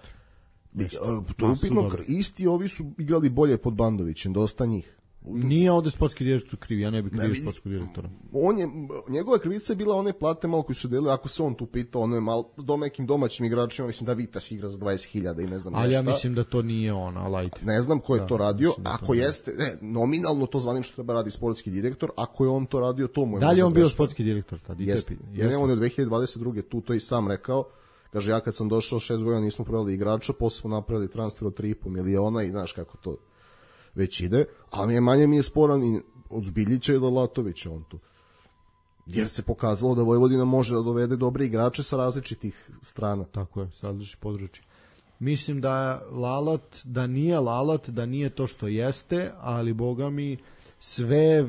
To je upitno, isti ovi su igrali bolje pod Bandovićem, dosta njih. Nije ovde sportski direktor kriv, ja ne bih krivio sportskog direktora. Njegova krivica je bila one plate malo koji su delili, ako se on tu pitao, ono je malo nekim domaćim igračima, mislim da Vitas igra za 20.000 i ne znam ali ja mislim da to nije on, ne znam ko je to radio, ako jeste, nominalno to zvanično treba radi sportski direktor, ako je on to radio, to mu je... Da li on bio sportski direktor tad? Jeste, on je od 2022. tu to i sam rekao, kaže, ja kad sam došao 6 godina nismo prodali igrača, posle smo napravili transfer od 3,5 miliona i znaš kako to već ide, ali manje mi je sporan i od Zbiljića i do Latovića on tu. jer se pokazalo da Vojvodina može da dovede dobre igrače sa različitih strana. Tako je, sa različitih područja. Mislim da nije Lalat, da nije to što jeste, ali boga mi sve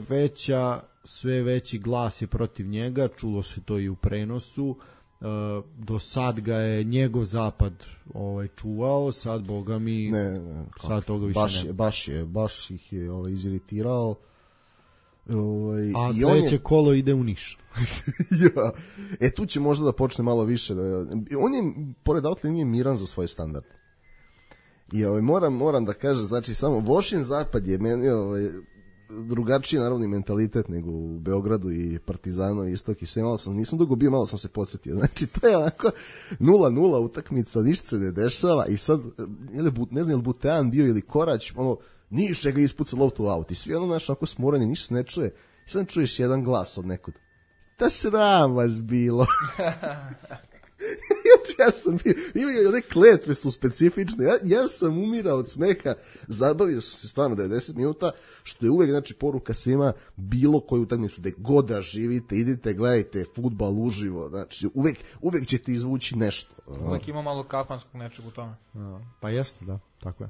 veći glas je protiv njega, čulo se to i u prenosu. Do sad ga je njegov zapad čuvao, sad boga mi sad toga više nema. Baš ih je iziritirao. A sledeće kolo ide u Niš. Ja. Tu će možda da počne malo više. On je, pored outlinije, miran za svoj standard. I moram da kažem, znači samo Vošin zapad je meni drugačiji naravno mentalitet nego u Beogradu i Partizanu i Istok i sve. Nisam dugo bio, malo sam se podsjetio. Znači to je onako 0-0 utakmica, ništa se ne dešava i sad, ne znam je li Butean bio ili Korać, Niš će ga ispuca loptu u aut i svi onako smorani, ništa se ne čuje. I sad čuješ jedan glas od nekud. Da sram vas bilo. Ja sam bio, imaju one kletve su specifične, ja sam umirao od smeha, zabavio sam se stvarno 90 minuta, što je uvek, znači, poruka svima, bilo koju utakmicu, gde god da živite, idite, gledajte fudbal uživo, znači, uvek ćete izvući nešto. Uvek ima malo kafanskog nečeg u tome. Pa jeste, da, tako je.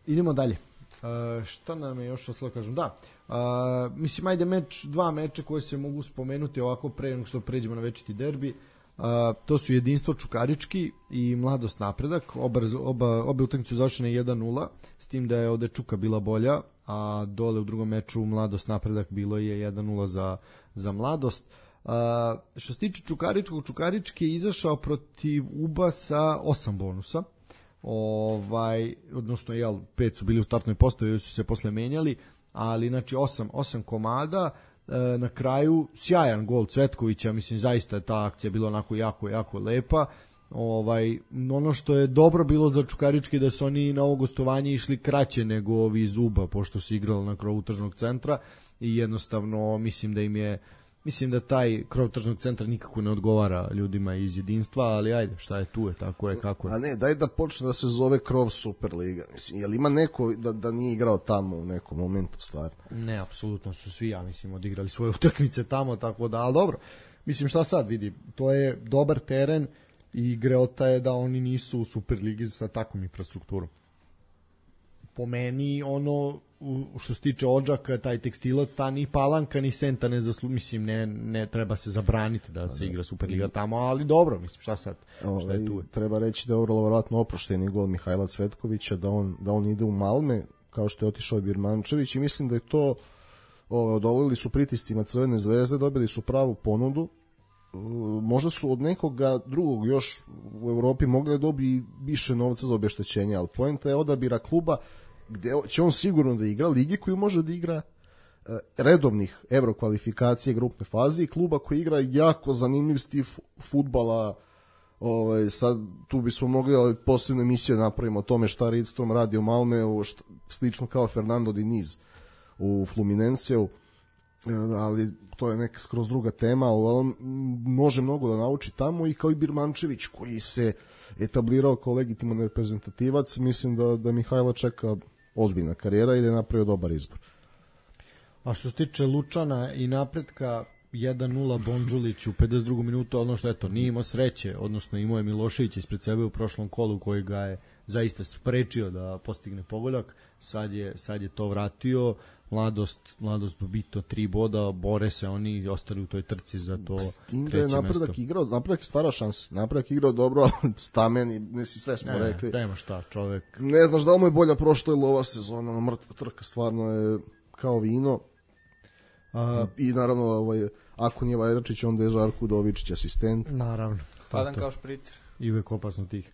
Idemo dalje. Šta nam je još ostalo kažem? Da, mislim, ajde dva meča koje se mogu spomenuti ovako pre nego što pređemo na večiti derbi. To su Jedinstvo Čukarički i Mladost Napredak. Obe utakmice završene 1-0, s tim da je ovde Čuka bila bolja, a dole u drugom meču Mladost Napredak bilo je 1-0 za Mladost. Što se tiče Čukaričkog, Čukarički je izašao protiv UBA sa 8 bonusa. Odnosno 5 su bili u startnoj postavi, su se posle menjali, ali znači 8 komada. Na kraju sjajan gol Cvetkovića, mislim zaista je ta akcija bila onako jako lepa. Ono što je dobro bilo za Čukarički da su oni na ovo gostovanje išli kraće nego ovi iz UBA, pošto su igrali na krovu tržnog centra i jednostavno mislim da taj krov tržnog centra nikako ne odgovara ljudima iz Jedinstva, ali ajde, šta je tu je, tako je, kako je. A ne, daj da počne da se zove krov Superliga. Mislim, je li ima neko da nije igrao tamo u nekom momentu stvarno? Ne, apsolutno su svi, ja mislim, odigrali svoje utakmice tamo, tako da, ali dobro. Mislim, šta sad vidi, to je dobar teren i greota je da oni nisu u Superligi sa takvom infrastrukturom. Po meni, što se tiče Odžaka, taj Tekstilac, ta ni Palanka ni Senta ne mislim, ne treba se zabraniti da se igra Superliga tamo, ali dobro, mislim, šta sad, šta je tu? Treba reći da je vrlo verovatno oprošteni gol Mihajla Cvetkovića, da on ide u Malme, kao što je otišao Birmančević, i mislim da je to, odolili su pritiscima Crvene zvezde, dobili su pravu ponudu, možda su od nekoga drugog još u Evropi mogli da dobiju više novca za obeštećenje, ali poenta je odabira kluba gde će on sigurno da igra ligi koju može da igra redovnih evrokvalifikacije grupne faze i kluba koji igra jako zanimljiv stil fudbala. Sad tu bismo mogli posebnu emisiju da napravimo o tome šta Ridstrom radi u Malmeu, slično kao Fernando Diniz u Fluminenseu, ali to je neka skroz druga tema, ali on može mnogo da nauči tamo, i kao i Birmančević koji se etablirao kao legitiman reprezentativac. Mislim da Mihajla čeka ozbiljna karijera i da je napravio dobar izbor. A što se tiče Lučana i Napretka, 1-0 Bondžulić u 52. minutu, ono što nije imao sreće, odnosno imao je Milošević ispred sebe u prošlom kolu koji ga je zaista sprečio da postigne pogodak, sad je to vratio. Mladost bito 3 boda, bore se oni i ostali u toj trci za to treće mesto. Napredak je stvarao šanse, Napredak igrao dobro, stamen i sve smo rekli. Nema šta, čovek. Ne znaš da li mu je bolja prošla ili ova sezona, mrtva trka stvarno je kao vino. I naravno, ako nije Vajračić, onda je Žarko Udovičić asistent. Naravno. Padan kao špricer. I uvek opasno tih.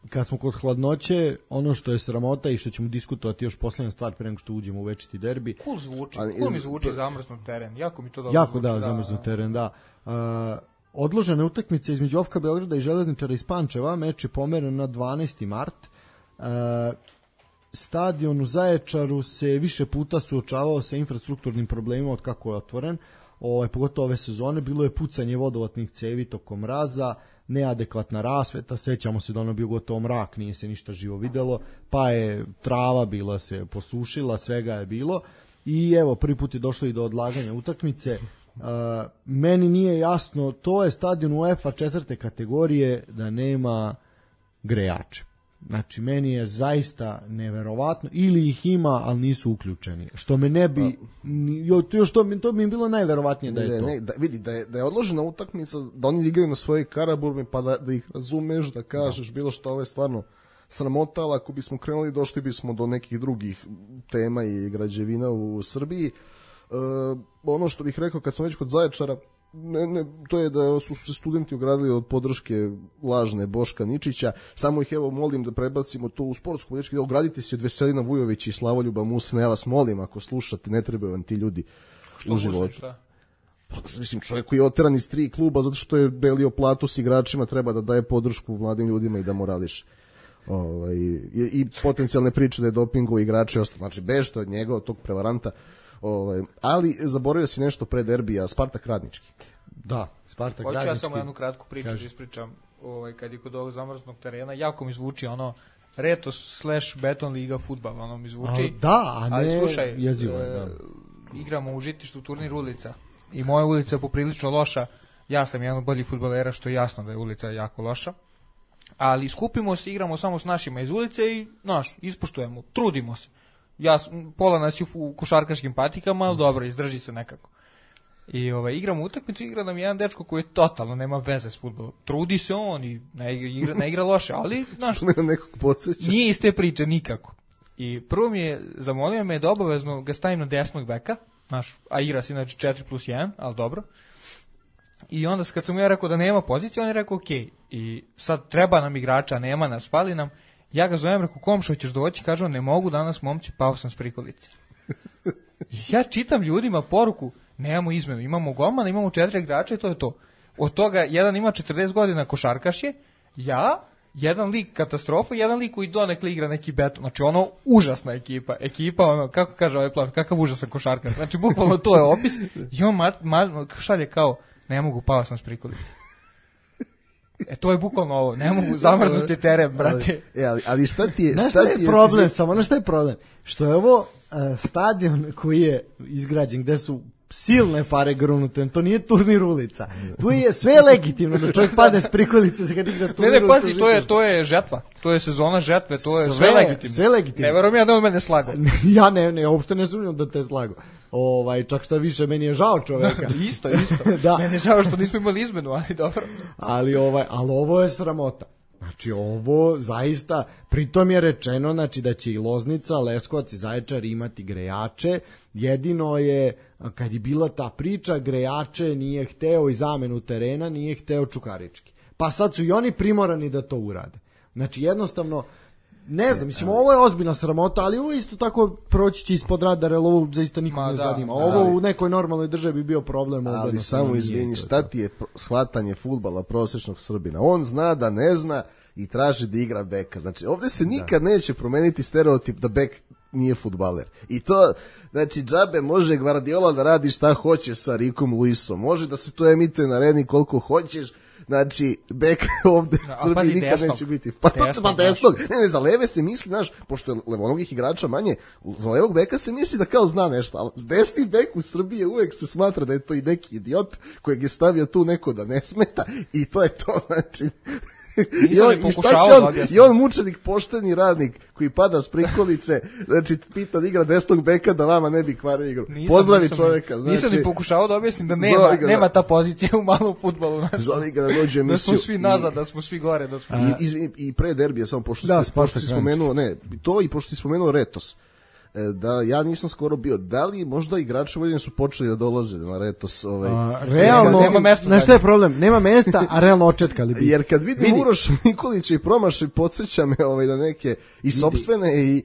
Kad smo kod hladnoće, ono što je sramota i što ćemo diskutovati još poslednja stvar pre nego što uđemo u večiti derbi. Cool mi zvuči zamrznut teren. Jako mi to dobro jako zvuči. Zamrznut teren, da. Odložene utakmice između OFK Beograda i Železničara iz Pančeva, meč je pomeren na 12. mart. Stadion u Zaječaru se više puta suočavao sa infrastrukturnim problemima od kako je otvoren. Pogotovo ove sezone bilo je pucanje vodovatnih cevi tokom mraza, neadekvatna rasveta, sećamo se da ono bio gotovo mrak, nije se ništa živo videlo, pa je trava bila se posušila, svega je bilo. i evo prvi put je došlo i do odlaganja utakmice. Meni nije jasno, to je stadion UEFA 4. kategorije da nema grejače. Znači, meni je zaista neverovatno, ili ih ima, ali nisu uključeni. Što me ne bi, to bi im bilo najverovatnije da je to. Vidi, da je odložena utakmica, da oni igraju na svojoj Karaburmi, pa da ih razumeš, da kažeš bilo što, ovo je stvarno sramota, ali ako bismo krenuli, došli bismo do nekih drugih tema i građevina u Srbiji. Ono što bih rekao, kad smo već kod Zaječara, to je da su se studenti ogradili od podrške lažne Boška Ničića, samo ih evo molim da prebacimo to u sportsku političku, da ogradite se od Veselina Vujovića i Slavoljuba Musina, ja vas molim, ako slušate, ne trebaju vam ti ljudi u životu. Mislim, čovjek koji je oteran iz 3 kluba zato što je delio platu s igračima, treba da daje podršku mladim ljudima i da morališe. I potencijalne priče da je dopingo igrače ostalo, znači bežite od njega, od tog prevaranta. Ali zaboravio si nešto pre derbija, Spartak Radnički. Da, Spartak Radnički. Hoću ja samo jednu kratku priču da ispričam, kad je kod ovog zamrznog terena, jako mi zvuči ono Retos / Beton Liga fudbal, ono mi zvuči. Ali slušaj, jezivo je, da. Igramo u Žitištu turnir ulica i moja ulica je poprilično loša, ja sam jedan od boljih fudbalera, što je jasno da je ulica jako loša, ali skupimo se, igramo samo s našima iz ulice i, ispoštujemo, trudimo se. Pola nas je u košarkaškim patikama, ali dobro, izdrži se nekako. I igramo utakmicu, igra nam jedan dečko koji totalno nema veze s fudbalom. Trudi se on i ne igra loše, ali nije iz te priče nikako. I prvo mi je, zamolio me da obavezno ga stavim na desnog beka, a igra se inače 4+1, ali dobro. I onda kad sam ja rekao da nema pozicije, on je rekao ok. I sad treba nam igrača, nema nas, fali nam. Ja ga zovem, rekao, komšo, ćeš doći? Kaže on, ne mogu danas, momci, pao sam s prikolice. Ja čitam ljudima poruku, nemamo izmenu, imamo golmana, imamo 4 igrača i to je to. Od toga, jedan ima 40 godina košarkaš je, jedan lik katastrofa, jedan lik koji donekle igra neki beton. Znači, ono, užasna ekipa. Ekipa, ono, kako kaže ovaj plan, kakav užasan košarkaš. Znači, bukvalno to je opis. I on šalje kao, ne mogu, pao sam s prikolice. To je bukvalno ovo, ne mogu zamrznuti teren, brate. Ali šta ti je... Šta je problem, samo šta je problem? Što je ovo stadion koji je izgrađen, gde su silne pare grunute, to nije turnir ulica. Tu je sve legitimno da čovjek pade s prikolice kad igra turnir ulica. Ne, pazi, to je žetva, to je sezona žetve, to je sve legitimno. Sve legitimno. Ne verujem ja da on mene slagao. Ja ne, uopšte ne sumnjam da te slagao. Čak šta više, meni je žao čoveka. Isto. Da. Meni je žao što nismo imali izmenu, ali dobro. Ali ovo je sramota. Znači ovo zaista, pritom je rečeno da će i Loznica, Leskovac i Zaječar imati grejače, jedino je, kad je bila ta priča, grejače nije hteo i zamenu terena, nije hteo Čukarički. Pa sad su i oni primorani da to urade. Znači jednostavno, ne znam, mislim, ovo je ozbiljna sramota, ali ovo isto tako proći će ispod radara, jer ovo zaista nikog ne zanima. Ovo u nekoj normalnoj državi bi bio problem. Ali samo izvini, šta ti je shvatanje fudbala prosječnog Srbina? On zna da ne zna i traži da igra beka. Znači, ovdje se nikad neće promeniti stereotip da bek nije fudbaler. I to, znači, džabe može Guardiola da radi šta hoće sa Rikom Luisom. Može da se to emituje na Reni koliko hoćeš. Znači, bek ovde u Srbiji nikad neće biti. Pa desnog. Ne, za leve se misli, pošto je levonogih igrača manje, za levog beka se misli da kao zna nešto, ali s desni bek u Srbiji uvek se smatra da je to i neki idiot kojeg je stavio tu neko da ne smeta i to je to, znači... I on mučenik, pošteni radnik koji pada s prikolice, znači pita da igra desnog beka da vama ne bi kvario igru. Pozdravi čovjeka. Nisam ni pokušao da objasnim da nema ta pozicija u malom fudbalu. Zove ga da dođe emisiju. Da smo svi nazad, da smo svi gore. I pre derbija, samo pošto si spomenuo, to i pošto si spomenuo Retos. Da ja nisam skoro bio, da li možda igrači Vojvodine su počeli da dolaze na Retos? Realno, nema mesta. Znaš šta je problem? Nema mesta, a realno očetkali bi. Jer kad vidim Uroša Nikolića i promašaj, podsjeća me da neke i sopstvene i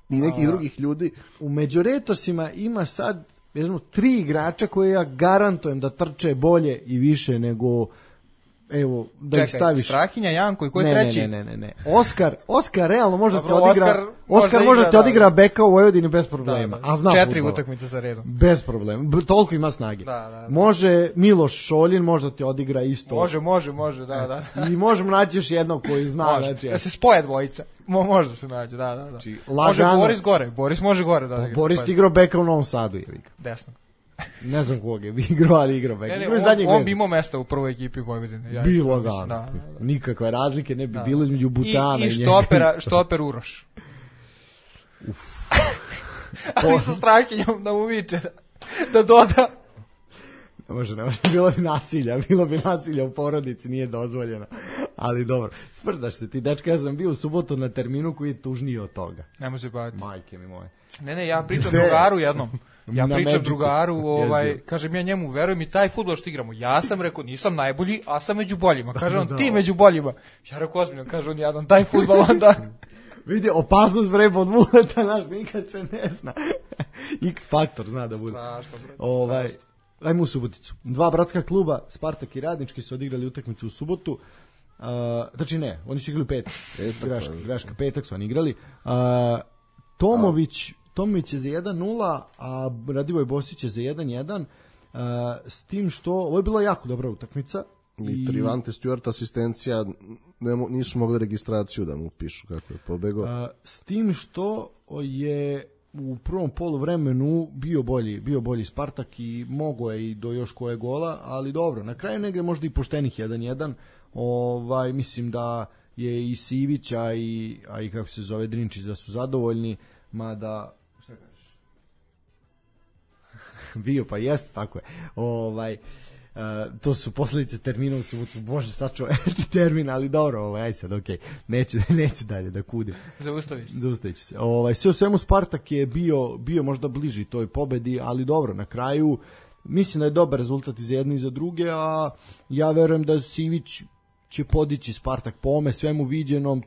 nekih drugih ljudi. U među Retosima ima sad 3 igrača koje ja garantujem da trče bolje i više nego evo, da ih staviš. Strahinja, Janko i ko je treći? Ne. Oskar realno može Dobro, te odigra. Oskar može te odigra beka u Vojvodini bez problema. Da. A zna 4 fudbala. utakmice za redom. Bez problema. Toliko ima snage. Da. Može Miloš Šoljin možda ti odigra isto. Može, da. I možemo naći još jednog koji zna. Znači, da se spoje dvojica. Može da se nađe, da. Znači, može Boris gore. Boris može gore da odigra. Boris ti igrao beka u Novom Sadu. Desno. Ne znam koga je igrao, ali igrao beka. On bi imao mesta u prvoj ekipi Vojvodine. Bilo ga. Nikakve razlike ne bi bilo između Butana i štoper Uroš. Ali sa Strahinjom da mu viče da doda. Ne može. Bilo bi nasilja u porodici, nije dozvoljeno. Ali dobro, sprdaš se ti, dečka, ja sam bio u subotu na terminu koji je tužniji od toga. Nemo se baviti. Majke mi moje. Ne, ja pričam drugaru jednom. Drugaru, kažem ja njemu, veruj mi, taj fudbal što igramo, ja sam rekao, nisam najbolji, a sam među boljima. Kaže on, ti među boljima. Ja rekao, ozbiljno, kaže on, jadan, taj fudbal onda... Vidi, opasnost vreba od Vuleta, znaš, nikad se ne zna. X faktor zna da bude. Strašno. Ajmo u Suboticu. 2 bratska kluba, Spartak i Radnički, su odigrali utakmicu u subotu. Znači ne, oni su igrali petak. Greška, petak su oni igrali. Tomović je za 1-0, a Radivoj Bosić je za 1-1. S tim što, ovo je bila jako dobra utakmica. I Trivante Stewart asistencija, nisu mogli registraciju da mu pišu kako je pobegao. S tim što je u prvom poluvremenu bio bolji Spartak i mogao je i do još koje gola, ali dobro, na kraju negde možda i poštenih 1-1. Mislim da je i Sivić, a i kako se zove Drinčić da su zadovoljni, mada šta kažeš? Bio pa jeste, tako je. To su posljedice termina u subotu, bože sačuvaj termin, ali dobro, aj sad, okej, neću dalje da kudim. Zaustavit ću se. Sve u svemu Spartak je bio možda bliži toj pobedi, ali dobro, na kraju mislim da je dobar rezultat i za jedne i za druge, a ja verujem da Sivić će podići Spartak po ome svemu viđenom.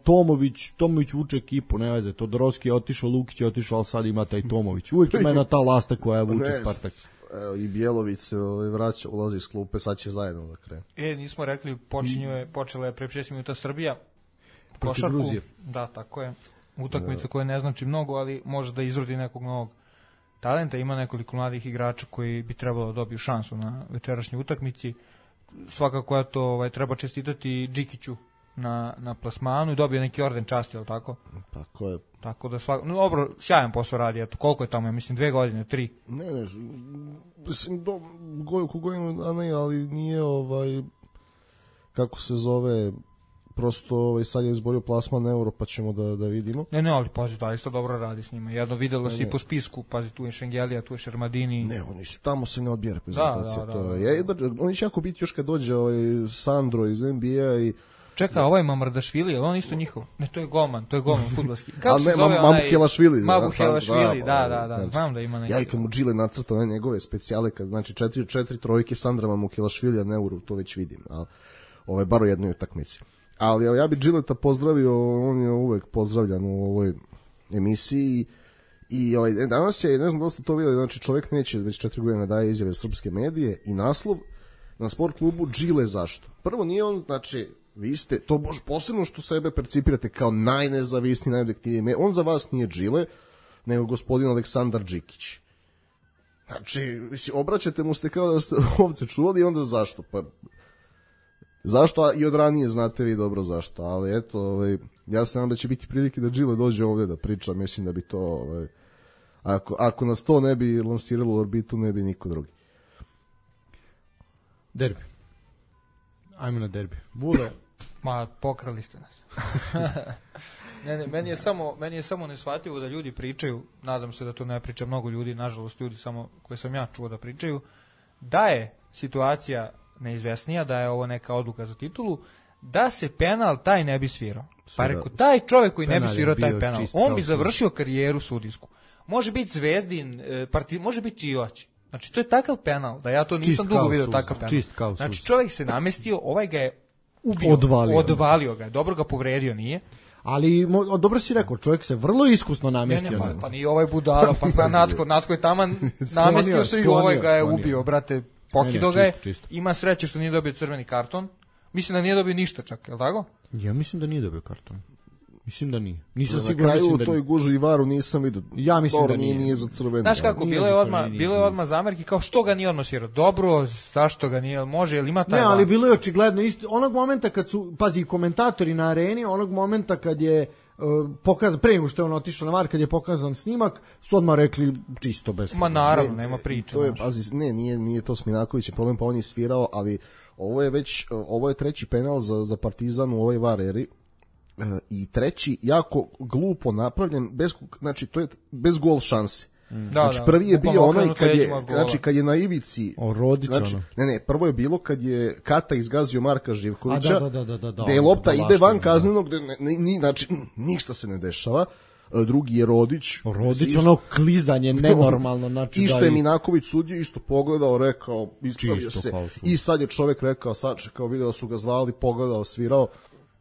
Tomović vuče ekipu, ne veze, Todorovski je otišao, Lukić je otišao, ali sad ima taj Tomović. Uvijek ima jedna ta lasta koja vuče Spartak. I Bjelović se vraća, ulazi iz klupe, sad će zajedno da krene. Nismo rekli, počela je pre 6 minuta Srbija. Protiv Gruzije. Da, tako je. Utakmica koja ne znači mnogo, ali može da izrodi nekog novog talenta. Ima nekoliko mladih igrača koji bi trebalo da dobiju šansu na večerašnjoj utakmici. Svakako to treba čestitati Džikiću na plasmanu i dobio neki orden časti, je li tako? Tako je. Tako da dobro, sjajan posao radi. Koliko je tamo, mislim, 2 godine, 3? Ne, mislim, godinu, a ne, ali nije kako se zove, prosto sad je izborio plasman Euro, pa ćemo da vidimo. Ne, ali pazi, da isto dobro radi s njima. Jedno videlo si po spisku, pazi, tu je Šengelija, tu je Šermadini. Ne, oni su, tamo se ne odbija reprezentacija. Oni će jako biti još kad dođe Sandro iz NBA i čeka, ovaj Mamrdašvili, je li on isto njihov? Ne, to je golman fudbalski. Kako se zove onaj? Mabu Kelašvili, da, znam da ima neki. Ja i kad mu Džile nacrta njegove specijale, znači 4 trojke Sandra Mamu Kelašvili, a ne Euro, to već vidim. Bar u jednoj utakmici. Ali ja bih Džileta pozdravio, on je uvek pozdravljan u ovoj emisiji i danas je, ne znam da ste to vidjeli, znači čovjek neće već 4 godine daje izjave srpske medije i naslov na sport klubu Džile zašto? Prvo nije on, znači vi ste, to posebno što sebe percipirate kao najnezavisniji, najobjektivniji, on za vas nije Džile, nego gospodin Aleksandar Džikić. Znači, obraćate mu ste kao da ste ovce čuvali i onda zašto? Pa, zašto? I od ranije znate vi dobro zašto, ali eto, ja se nadam da će biti prilike da Džile dođe ovdje da priča, mislim da bi to, ako nas to ne bi lansiralo u orbitu, ne bi niko drugi. Derbi. Ajmo na derbi. Bule. Ma, pokrali ste nas. Ne, meni je samo neshvatljivo da ljudi pričaju, nadam se da to ne priča mnogo ljudi, nažalost ljudi samo koje sam ja čuo da pričaju, da je situacija neizvesnija, da je ovo neka odluka za titulu, da se penal taj ne bi svirao. Pa rekao, taj čovjek koji ne bi svirao taj penal, on bi završio karijeru sudijsku. Može biti Zvezdin, može biti Čivač. Znači, to je takav penal, da ja to nisam dugo vidio takav penal. Znači, čovjek se namestio, ovaj ga je ubio, odvalio ga je, dobro ga povredio, nije. Ali, dobro si rekao, čovjek se vrlo iskusno namestio. Pa nije ovaj budala, pa Natko je taman namestio se i ovaj ga je ubio, brate, pokido ga je. Ima sreće što nije dobio crveni karton, Mislim da nije dobio ništa čak, je li tako? Ja mislim da nije dobio karton. Mislim da nije. Nisam siguran, na kraju u toj gužu i varu nisam vidio. Ja mislim da nije za crveni. Znaš kako, bilo je odmah zamerki kao što ga nije odmah svirao. Dobro, zašto ga nije, može, jel ima taj... Ne, ali bilo je očigledno isto. Onog momenta kad su, pazi, komentatori na areni, onog momenta kad je pokazan, pre nego što je on otišao na VAR, kad je pokazan snimak, su odmah rekli čisto bez problema. Ma naravno, nema priče. To je, pazi, nije to Sminaković problem, pa on je svirao, ali ovo je treći penal za Partizan u ovoj VAR eri. I treći jako glupo napravljen, znači to je bez gol šanse. Znači prvi je bio onaj kad je na ivici prvo je bilo kad je Kata izgazio Marka Živkovića, da je lopta ide van kaznenog, znači ništa se ne dešava. Drugi je Rodić, ono klizanje nenormalno, znači isto je Minaković sudio, isto pogledao, rekao, ispravio se i sad je čovek rekao, sačekao, video su ga zvali, pogledao, svirao.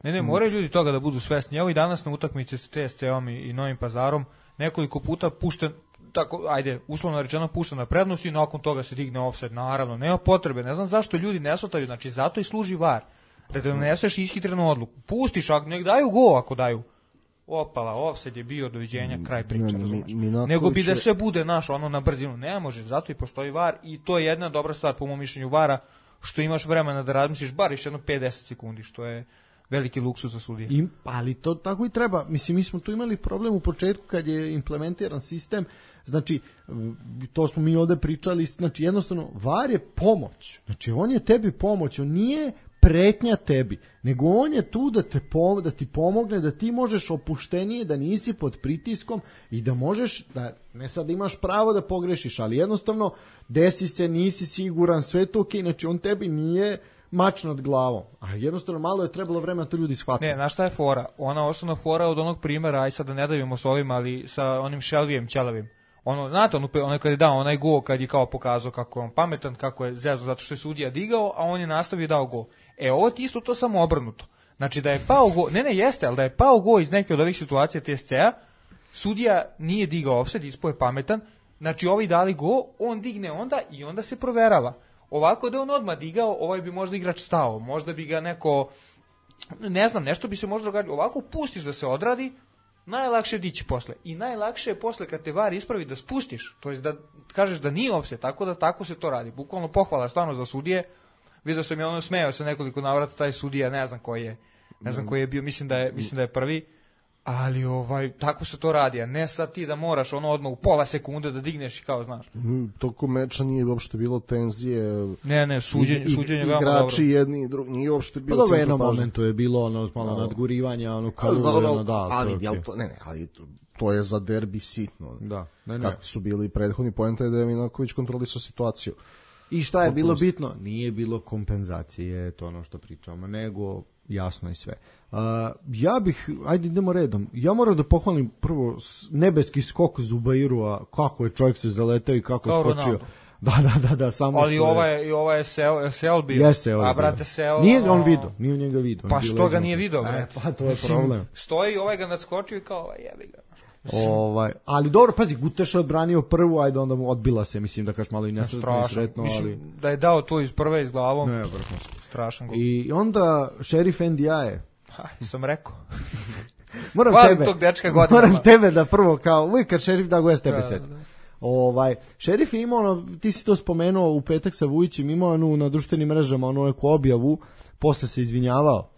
Ne, moraju ljudi toga da budu svesni. Evo i danas na utakmici s TSC-om i Novim Pazarom nekoliko puta pušten, tako, ajde, uslovno rečeno pušten na prednost i nakon toga se digne ofsajd, naravno, nema potrebe, ne znam zašto ljudi ne shvataju, znači zato i služi VAR, da te doneseš ishitrenu odluku, pustiš, nek daju go ako daju, opala, ofsajd je bio, doviđenja, kraj priče, razumeš, nego bi da sve bude ono na brzinu, ne može, zato i postoji VAR i to je jedna dobra stvar po mom mišljenju VAR-a, što imaš vremena da razmisliš bar još jedno 5-10 sekundi, što je veliki luksuz za sudije. Ali to tako i treba. Mislim, mi smo tu imali problem u početku kad je implementiran sistem, znači, to smo mi ovde pričali, znači, jednostavno, VAR je pomoć. Znači, on je tebi pomoć, on nije pretnja tebi, nego on je tu da ti pomogne, da ti možeš opuštenije, da nisi pod pritiskom i da možeš, da ne sad imaš pravo da pogrešiš, ali jednostavno, desi se, nisi siguran, sve to okej, znači, on tebi nije mač nad glavom. A jednostavno malo je trebalo vremena to ljudi shvatiti. Ne, znaš šta je fora? Ona osnovna fora od onog primjera, aj sad da ne davimo s ovim, ali sa onim Šelvijem Ćelavim. Znate, ono kad je dao onaj go, kad je kao pokazao kako je on pametan, kako je zezo, zato što je sudija digao, a on je nastavio i dao go. Ovo ti isto to samo obrnuto. Znači da je pao go, jeste, ali da je pao go iz neke od ovih situacija TSC-a, sudija nije digao ofsajd, ispao je pametan, znači ovi dali go, on digne onda i onda se proverava. Ovako da on odmah digao, ovaj bi možda igrač stao, možda bi ga neko, ne znam, nešto bi se možda događalo. Ovako pustiš da se odradi, najlakše je dići posle. I najlakše je posle kad te VAR ispravi da spustiš, to jest da kažeš da nije ofsajd, tako se to radi. Bukvalno pohvala stvarno za sudije. Vidio sam je smejao se nekoliko navrata taj sudija, ne znam koji je bio, mislim da je prvi. Ali tako se to radi, a ne sad ti da moraš odmah u pola sekunde da digneš i kao znaš. Tokom meča nije uopšte bilo tenzije. Ne, suđenje veoma dobro. Igrači jedni i drugi, nije uopšte bilo centar pažnje. Pa dobro, jednom momentu je bilo malo nadgurivanja, ali to je za derbi sitno. Da, kako su bili prethodni, poenta je da je Minaković kontrolisao situaciju. I šta je bilo bitno? Nije bilo kompenzacije, to ono što pričamo, nego jasno i sve. Ajde idemo redom. Ja moram da pohvalim prvo nebeski skok Zubairua, kako je čovjek se zaletao i kako je skočio. Da, samo ali ova je Sel bio. A brate Sel. Nije on video, nije njega video. Pa što ga nije video, brate? Pa to je problem. Stoji ga nadskočio i kao jebi ga. Ali dobro, pazi, Guteša odbranio prvu, ajde onda mu odbila se, mislim da kažeš malo i nesretno, ali da je dao to iz prve iz glavom. Ne, strašan gol. I onda Šerif Ndiaye. Sam rekao. Moram tebe da prvo kao, uvijek kad Šerif da go ja s tebe seti. Šerif je imao, ti si to spomenuo u petak sa Vujićem, imao na društvenim mrežama neku objavu, posle se izvinjavao.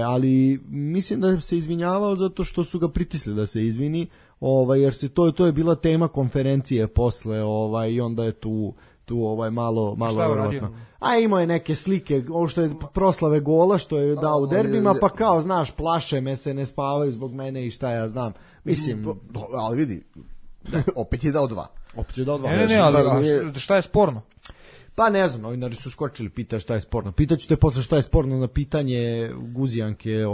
Ali mislim da se izvinjavao zato što su ga pritisli da se izvini, jer se to je bila tema konferencije posle, i onda je tu malo verovatno. A imao je neke slike, ovo što je proslave gola što je dao u derbima, pa kao znaš, plaše me se, ne spavaju zbog mene i šta ja znam. Mislim, ali vidi, opet je dao dva. Ne, ali šta je sporno? Pa ne znam, novinari su skočili, pita šta je sporno. Pitaću te posle šta je sporno na pitanje Guzijanke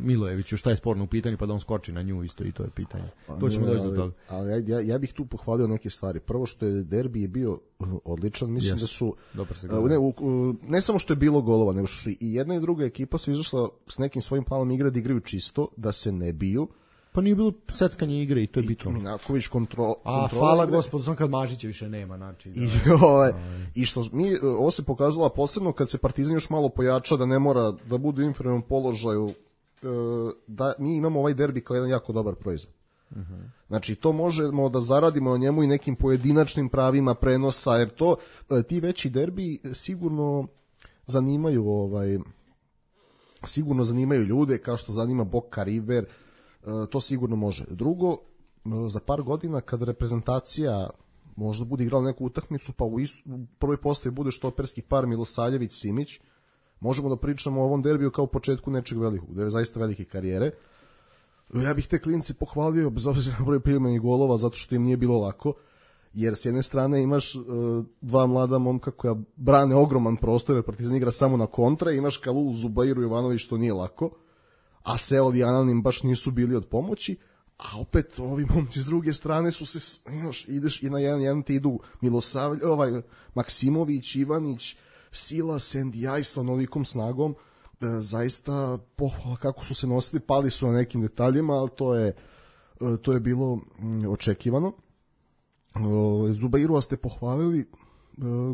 Milojeviću, šta je sporno u pitanju, pa da on skoči na nju isto i to je pitanje. To ćemo doći do toga. Ali ja bih tu pohvalio neke stvari. Prvo što je derbi je bio odličan, mislim da su ne samo što je bilo golova, nego što su i jedna i druga ekipa su izašla s nekim svojim planom igre da igraju čisto, da se ne biju, Pa nije bilo seckanje igre i to je bitno. Minaković A hvala gospodu, sam kad Mažića više nema, znači. I što ovo se pokazalo posebno kad se Partizan još malo pojača, da ne mora da bude u inferiornom položaju, da mi imamo ovaj derbi kao jedan jako dobar proizvod. Znači to možemo da zaradimo na njemu i nekim pojedinačnim pravima prenosa, jer to ti veći derbi sigurno zanimaju ljude kao što zanima Boca River, to sigurno može. Drugo, za par godina kad reprezentacija možda bude igrala neku utakmicu, pa u prvoj postavi bude štoperski par Milosavljević-Simić, možemo da pričamo o ovom derbiju kao početku nečeg velikog, da je zaista velike karijere. Ja bih te klinci pohvalio, bez obzira na broj primanih golova, zato što im nije bilo lako, jer s jedne strane imaš dva mlada momka koja brane ogroman prostor, jer Partizan igra samo na kontre, imaš Kalulu, Zubairu, Jovanović, što nije lako, a Seol i Anan im baš nisu bili od pomoći, a opet ovi momci s druge strane su se, ideš i na jedan ti idu Maksimović, Ivanić, Sila, Sendijaj sa onolikom snagom, zaista pohvala kako su se nosili, pali su na nekim detaljima, ali to je bilo očekivano. Zubairu ste pohvalili,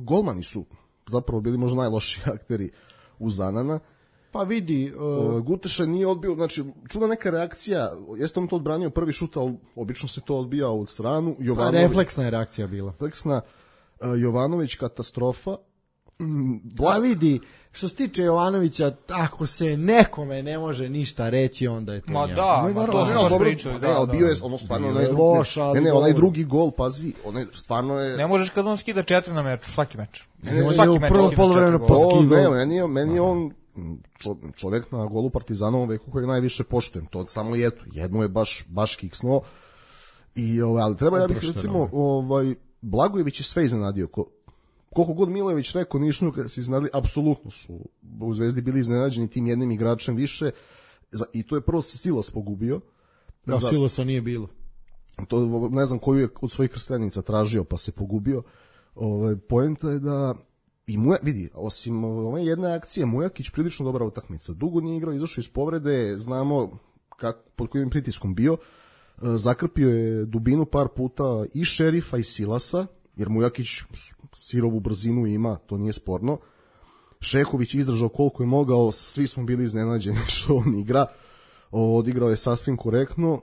golmani su zapravo bili možda najlošiji akteri uz Anana. Pa vidi, Guteša nije odbio, znači čudna neka reakcija, jeste on to odbranio prvi šut, ali obično se to odbija od stranu. Refleksna je reakcija bila. Jovanović katastrofa. Pa vidi, što se tiče Jovanovića, ako se nekome ne može ništa reći, onda je to njemu. To smo baš pričali. Bio je ono stvarno onaj drugi gol, pazi, onaj stvarno je... Ne možeš kad on skida 4 na meču, svaki meč. Svaki meč. Prvo polovremeno poskidao. Meni je on čovjek na golu Partizanovom veku kojeg najviše poštujem, to samo jedno je baš kiksno. Ali treba, ja bih recimo, Blagojević je sve iznenadio, koliko god Milojević rekao, nisu se iznenadili, apsolutno su u Zvezdi bili iznenađeni tim jednim igračem više, i to je prvo Silas pogubio. Silasa nije bilo. To ne znam koju je od svojih krstenica tražio, pa se pogubio. Poenta je da vidi, osim ove jedne akcije, Mujakić prilično dobra utakmica. Dugo nije igrao, izašao iz povrede, znamo pod kojim pritiskom bio. Zakrpio je dubinu par puta i Šerifa i Silasa, jer Mujakić sirovu brzinu ima, to nije sporno. Šehović izdržao koliko je mogao, svi smo bili iznenađeni što on igra. Odigrao je sasvim korektno.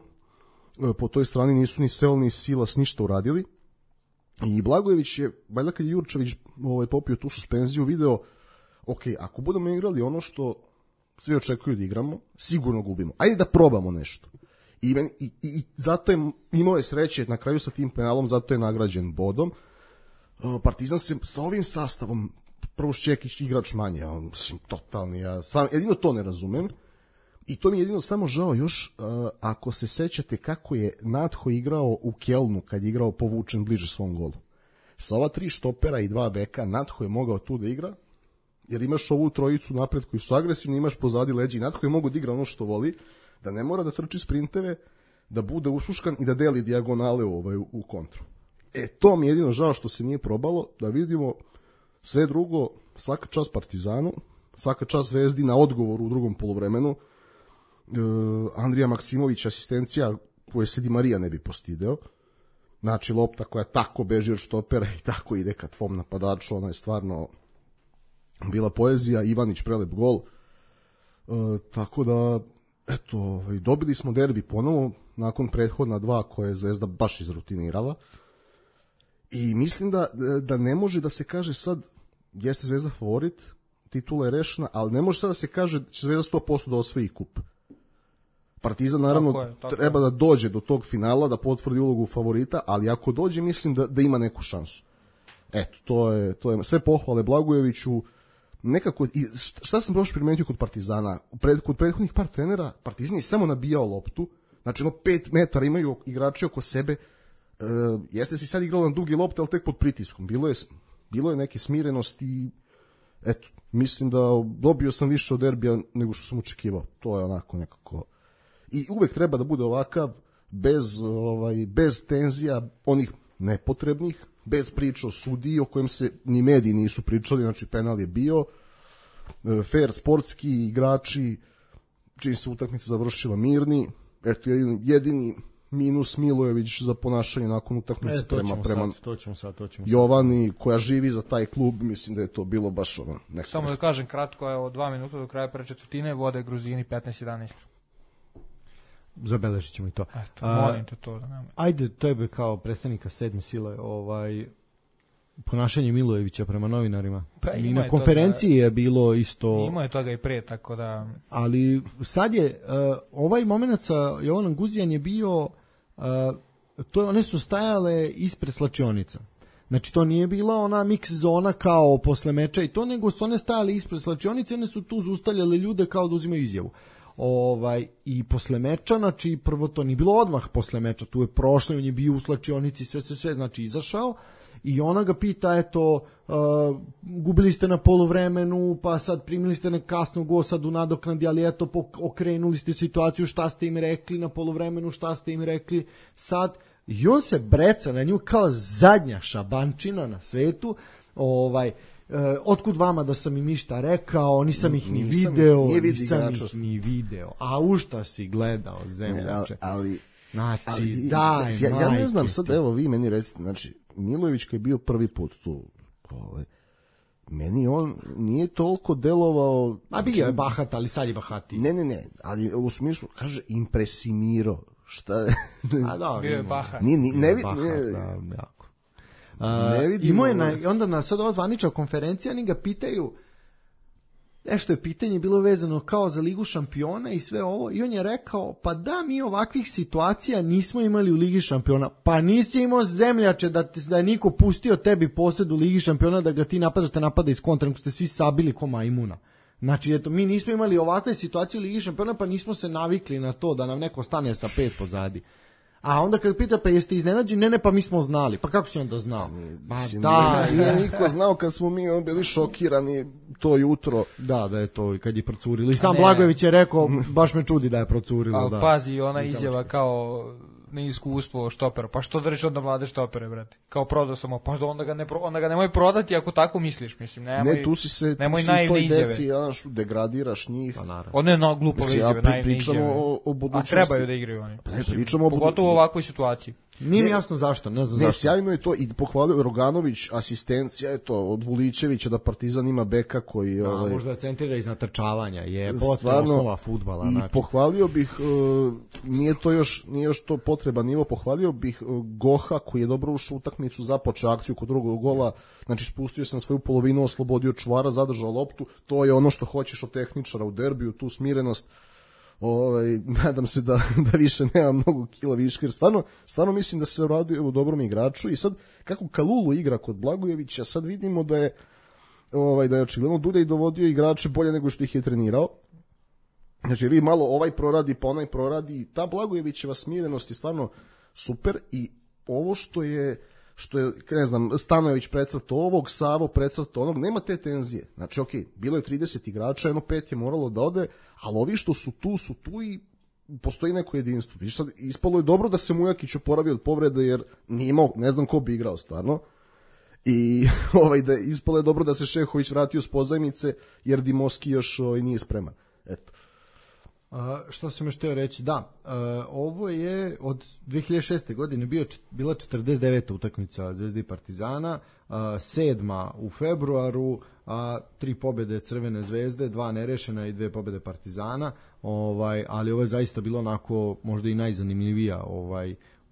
Po toj strani nisu ni Seol ni Silas ništa uradili. I Blagojević je, valjda kad je Jurčević popio tu suspenziju, video, ako budemo igrali ono što svi očekuju da igramo, sigurno gubimo. Ajde da probamo nešto. I zato je imao je sreće na kraju sa tim penalom, zato je nagrađen bodom. Partizan se sa ovim sastavom, prvo Šćekić igrač manje, totalni, ja stvarno, jedino to ne razumem. I to mi je jedino samo žao još, ako se sećate kako je Natho igrao u Kelnu kad je igrao povučen bliže svom golu. Sa ova 3 štopera i 2 beka, Natho je mogao tu da igra, jer imaš ovu trojicu napred koji su agresivni, imaš pozadi leđi, Natho je mogao da igra ono što voli, da ne mora da trči sprinteve, da bude ušuškan i da deli dijagonale u kontru. To mi je jedino žao što se nije probalo, da vidimo sve drugo, svaka čast Partizanu, svaka čast Zvezdi na odgovoru u drugom poluvremenu. Andrija Maksimović asistencija koje se Di Marija ne bi postideo, znači lopta koja tako beži od štopera i tako ide ka tvom napadaču, ona je stvarno bila poezija. Ivanić prelep gol, tako da dobili smo derbi ponovo nakon prethodna 2 koje je Zvezda baš izrutinirala i mislim da ne može da se kaže sad jeste Zvezda favorit, titula je rešena, ali ne može sad da se kaže da će Zvezda 100% da osvoji kup. Partizan naravno treba da dođe do tog finala, da potvrdi ulogu favorita, ali ako dođe mislim da ima neku šansu. To je sve pohvale Blagojeviću. Nekako, i šta sam baš primetio kod Partizana, kod prethodnih par trenera, Partizan je samo nabijao loptu, znači 5 metara imaju igrači oko sebe, jeste si sad igrao na dugi lopte, ali tek pod pritiskom, bilo je neke smirenosti i mislim da dobio sam više od derbija nego što sam očekivao, to je onako nekako, i uvek treba da bude ovakav, bez tenzija, onih nepotrebnih, bez priča o sudiji o kojem se ni mediji nisu pričali, znači penal je bio, fair sportski igrači, čim se utakmica završila mirni, eto, jedini minus Milojević za ponašanje nakon utakmice prema to ćemo sad. Jovani, koja živi za taj klub, mislim da je to bilo baš ono nekako. Samo da kažem kratko, evo 2 minuta do kraja prve četvrtine, vode Gruzini 15-11. Zabeležit ćemo i to. Eto, molim te to da nema. Ajde, tebe kao predstavnika sedme sile, ponašanje Milojevića prema novinarima. Pa, i na konferenciji je bilo isto. Imao je toga i pre, tako da. Ali sad je ovaj moment sa Jovanom Guzijan je bio one su stajale ispred slačionica. Znači to nije bila ona mix zona kao posle meča i to, nego su one stajale ispred slačionice, one su tu zaustavljale ljude kao da uzimaju izjavu. I posle meča, znači prvo to nije bilo odmah posle meča, tu je prošlo, on je bio u slačionici, sve, znači izašao i ona ga pita, eto, gubili ste na poluvremenu, pa sad primili ste na kasno gol sad u nadoknadi, ali eto, okrenuli ste situaciju, šta ste im rekli na poluvremenu, šta ste im rekli sad, i on se breca na nju kao zadnja šabančina na svetu, otkud vama da sam im išta rekao, nisam ih ni video, a u šta si gledao, zemljače. Znači, daj, ja ne znam, sad evo vi meni recite, znači, Milojević koji je bio prvi put tu, meni on nije toliko delovao. A bio je bahat, ali sad je bahati. Ne, ali u smislu, kaže, impresimiro. Šta? Bio je bahat. Ne vidimo. Onda sad ova zvanična konferencija, oni ga pitaju, nešto je pitanje bilo vezano kao za Ligu šampiona i sve ovo, i on je rekao, pa da, mi ovakvih situacija nismo imali u Ligi šampiona. Pa nisi imao, zemljače, da je niko pustio tebi posed u Ligi šampiona, da ga ti napada iz kontra, nego ste svi sabili ko majmuna. Znači, eto, mi nismo imali ovakve situacije u Ligi šampiona, pa nismo se navikli na to da nam neko stane sa 5 pozadi. A onda kad pita, pa jeste iznenađeni? Ne, pa mi smo znali. Pa kako si onda znao? Nije niko znao kad smo mi bili šokirani to jutro. Da je to kad je procurilo. I sam Blagojević je rekao, baš me čudi da je procurilo. Ali pazi, ona izjava kao neiskustvo štopera. Pa što držiš onda mlade štopere, brate? Kao prodao sam, pa onda ga nemoj prodati ako tako misliš, mislim. Ne, tu si se nemoj naivne izjave. Degradiraš njih. Pa one je glupove izjave, naivne izjave. O budućnosti. A trebaju da igraju oni. Pogotovo u ovakvoj situaciji. Nije mi jasno zašto, ne znam zašto. Sjajno je to i pohvalio Roganović, asistencija je to od Vulićevića da Partizan ima beka koji možda centrira iz natrčavanja, je potrebna osnova fudbala. I znači. Pohvalio bih, nije još to potreba nivo, pohvalio bih Goha koji je dobro ušao u utakmicu, započeo akciju kod drugog gola, znači spustio sam svoju polovinu, oslobodio čuvara, zadržao loptu, to je ono što hoćeš od tehničara u derbiju, tu smirenost. Nadam se da više nema mnogo kila viška, jer stvarno mislim da se radi o dobrom igraču. I sad kako Kalulu igra kod Blagojevića, sad vidimo da je očigledno Dulej dovodio igrače bolje nego što ih je trenirao. Znači vi malo ovaj proradi pa onaj proradi, i ta Blagojevićeva smirenost je stvarno super. I ovo što je ne znam, Stanojević precrto ovog, Savo precrto onog, nema te tenzije. Znači, bilo je 30 igrača, 5 je moralo da ode, ali ovi što su tu i postoji neko jedinstvo. Viš sad, ispalo je dobro da se Mujakić oporavio od povrede, jer nije imao, ne znam ko bi igrao stvarno. I ispalo je dobro da se Šehović vratio s pozajmice, jer Dimoski još nije spreman. Eto. Što sam još htio reći, ovo je od 2006. godine bila 49. utakmica Zvezde i Partizana, 7. u februaru, 3 pobjede Crvene zvezde, 2 nerešena i 2 pobjede Partizana, ali ovo je zaista bilo onako možda i najzanimljivija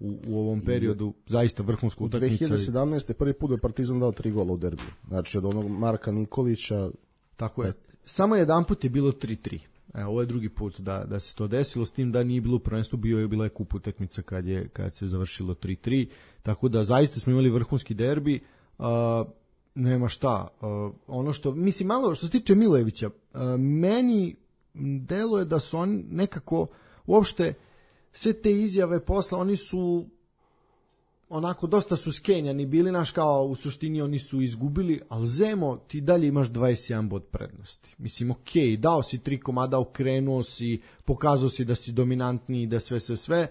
u ovom periodu, zaista vrhunska utakmica. 2017. prvi put je Partizan dao 3 gola u derbiju, znači od onog Marka Nikolića. Tako je, samo jedan put je bilo 3-3. Ovo je drugi put da se to desilo, s tim da nije bilo u prvenstvu, bila je kup utakmica kad se završilo 3-3, tako da zaista smo imali vrhunski derbi, nema šta. Ono što, mislim, malo što se tiče Milojevića, meni deluje da su oni nekako, uopšte, sve te izjave posle, oni su onako, dosta su skenjani bili, naš kao u suštini oni su izgubili, ali Zemo, ti dalje imaš 21 bod prednosti. Mislim, dao si 3 komada, okrenuo si, pokazao si da si dominantniji, da sve.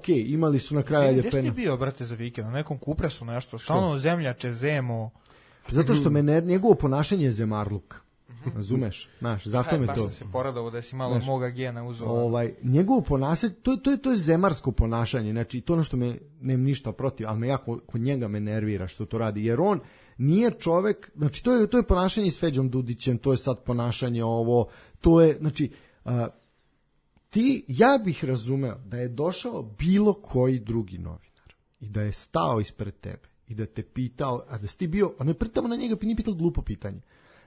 Imali su na kraju Ljepena. Gdje si ti bio, brate, za vikend? Na nekom kupresu nešto? Stalno zemljače, Zemo. Zato što njegovo ponašanje je zemarluk. Razumeš? Znaš, zato me to... Baš se poradovo da si malo moga gena uzeo. Njegovo ponašanje, to je zemarsko ponašanje, znači to ono što me, nemam ništa protiv, ali me jako kod njega me nervira što to radi, jer on nije čovek, znači to je ponašanje s Feđom Dudićem, to je sad ponašanje ovo, to je, znači, ja bih razumeo da je došao bilo koji drugi novinar i da je stao ispred tebe i da te pitao, a da si ti bio, a ne pritamo na njega, nije pitao glupo pitanje.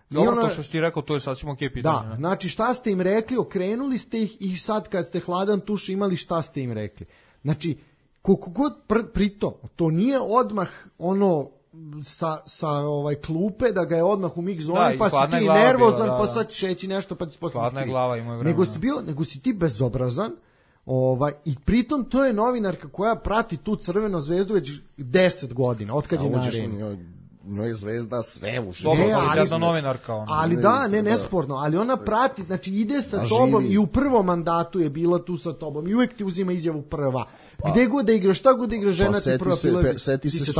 Dobro, to što si ti rekao, to je sasvim okej pitanje. Da, znači šta ste im rekli, okrenuli ste ih i sad kad ste hladan tuš imali šta ste im rekli. Znači, koliko god pritom, to nije odmah ono sa klupe da ga je odmah u mix zoni, pa si ti nervozan, pa sad šeći nešto, pa ti posle hladna glava ima vremena. Nego si ti bezobrazan, i pritom to je novinarka koja prati tu Crvenu zvezdu već 10 godina, otkad je na areni. Njoj je Zvezda sve u životu. Dobro, kvalitetna novinarka ona. Ali nesporno, ali ona prati, znači ide sa tobom i u prvom mandatu je bila tu sa tobom i uvek ti uzima izjavu prva. Gde god da igraš, šta god da igraš, žena ti prva prilazi. Seti se,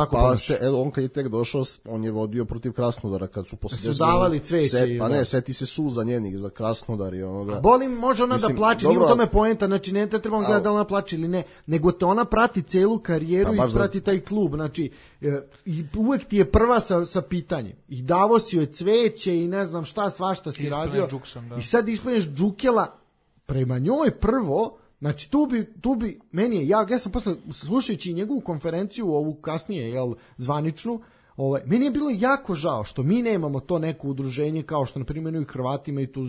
on kad je tek došao, on je vodio protiv Krasnodara kad su posle su davali cveće. Pa ne, seti se suza njenih za Krasnodar i onoga. Boli može ona da plače, nije u tome poenta, znači ne trebamo gledati da ona plače ili ne, nego te ona prati celu karijeru i prati taj klub, znači i uvek ti je prva sa pitanjem. I davo si joj cveće i ne znam šta, svašta si radio. I sad ispanješ džukela prema njoj prvo. Znači tu bi meni je, ja sam posle slušajući njegovu konferenciju ovu kasnije, zvaničnu, meni je bilo jako žao što mi nemamo to neko udruženje kao što na primjer i Hrvati imaju tu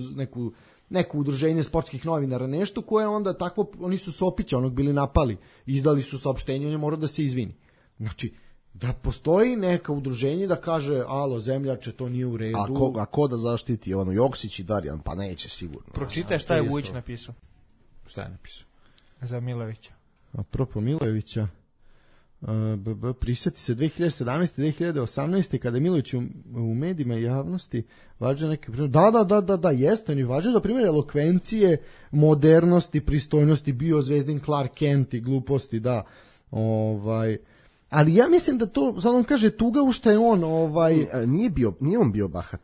neko udruženje sportskih novinara, nešto koje onda takvo, oni su Sopića onog bili napali, izdali su saopštenje, on je morao da se izvini. Znači, da postoji neka udruženje da kaže, alo, zemljače, to nije u redu. A ko da zaštiti? Joksić i Darjan, pa neće sigurno. Pročitaj šta je Vujić napisao. Šta je napisao? Za Milojevića. Apropo Milojevića, prisjeti se 2017. 2018. kada je Milojević u medijima i javnosti vađa neke primjer. Da, jeste, on je vađa da primjer elokvencije, modernosti, pristojnosti, bio Zvezdin Clark Kent i gluposti, da. Ali ja mislim da to, sad on kaže tuga u šta je on, Nije on bio bahat.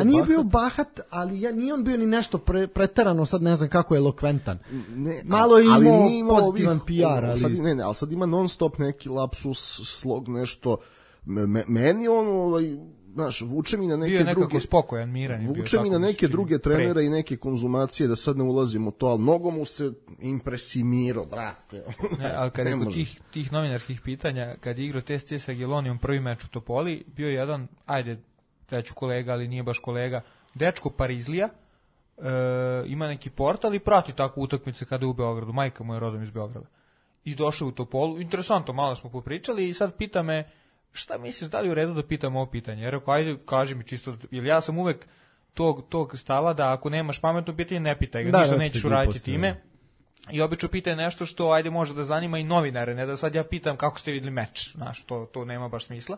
Nije bio bahat, ali nije on bio ni nešto preterano, sad ne znam kako je elokventan. Malo je imao pozitivan PR, ali... ali sad ima non stop neki lapsus, slog, nešto. Meni on, znaš, vuče mi na neke druge... Bio je nekako spokojan, miran. Vuče mi na neke druge trenera i neke konzumacije, da sad ne ulazim u to, ali mnogo mu se impresimirao, brate. Ne, ali kad je kod tih novinarskih pitanja, kad je igrao test sa Gelonijom prvi meč u Topoli, bio je jedan, reću kolega, ali nije baš kolega, dečko Parizlija, ima neki portal i prati tako utakmice kada je u Beogradu, majka mu je rodom iz Beograda. I došao u Topolu, interesantno, malo smo popričali i sad pita me, šta misliš, da li je u redu da pitam ovo pitanje? Jer ako, ajde, kaži mi čisto, jer ja sam uvek tog stava da ako nemaš pametno pitanje, ne pitaj ga, ništa nećeš uraditi time. I obično pitaj nešto što, ajde, može da zanima i novinare, ne da sad ja pitam kako ste vidjeli meč, znaš, to nema baš smisla.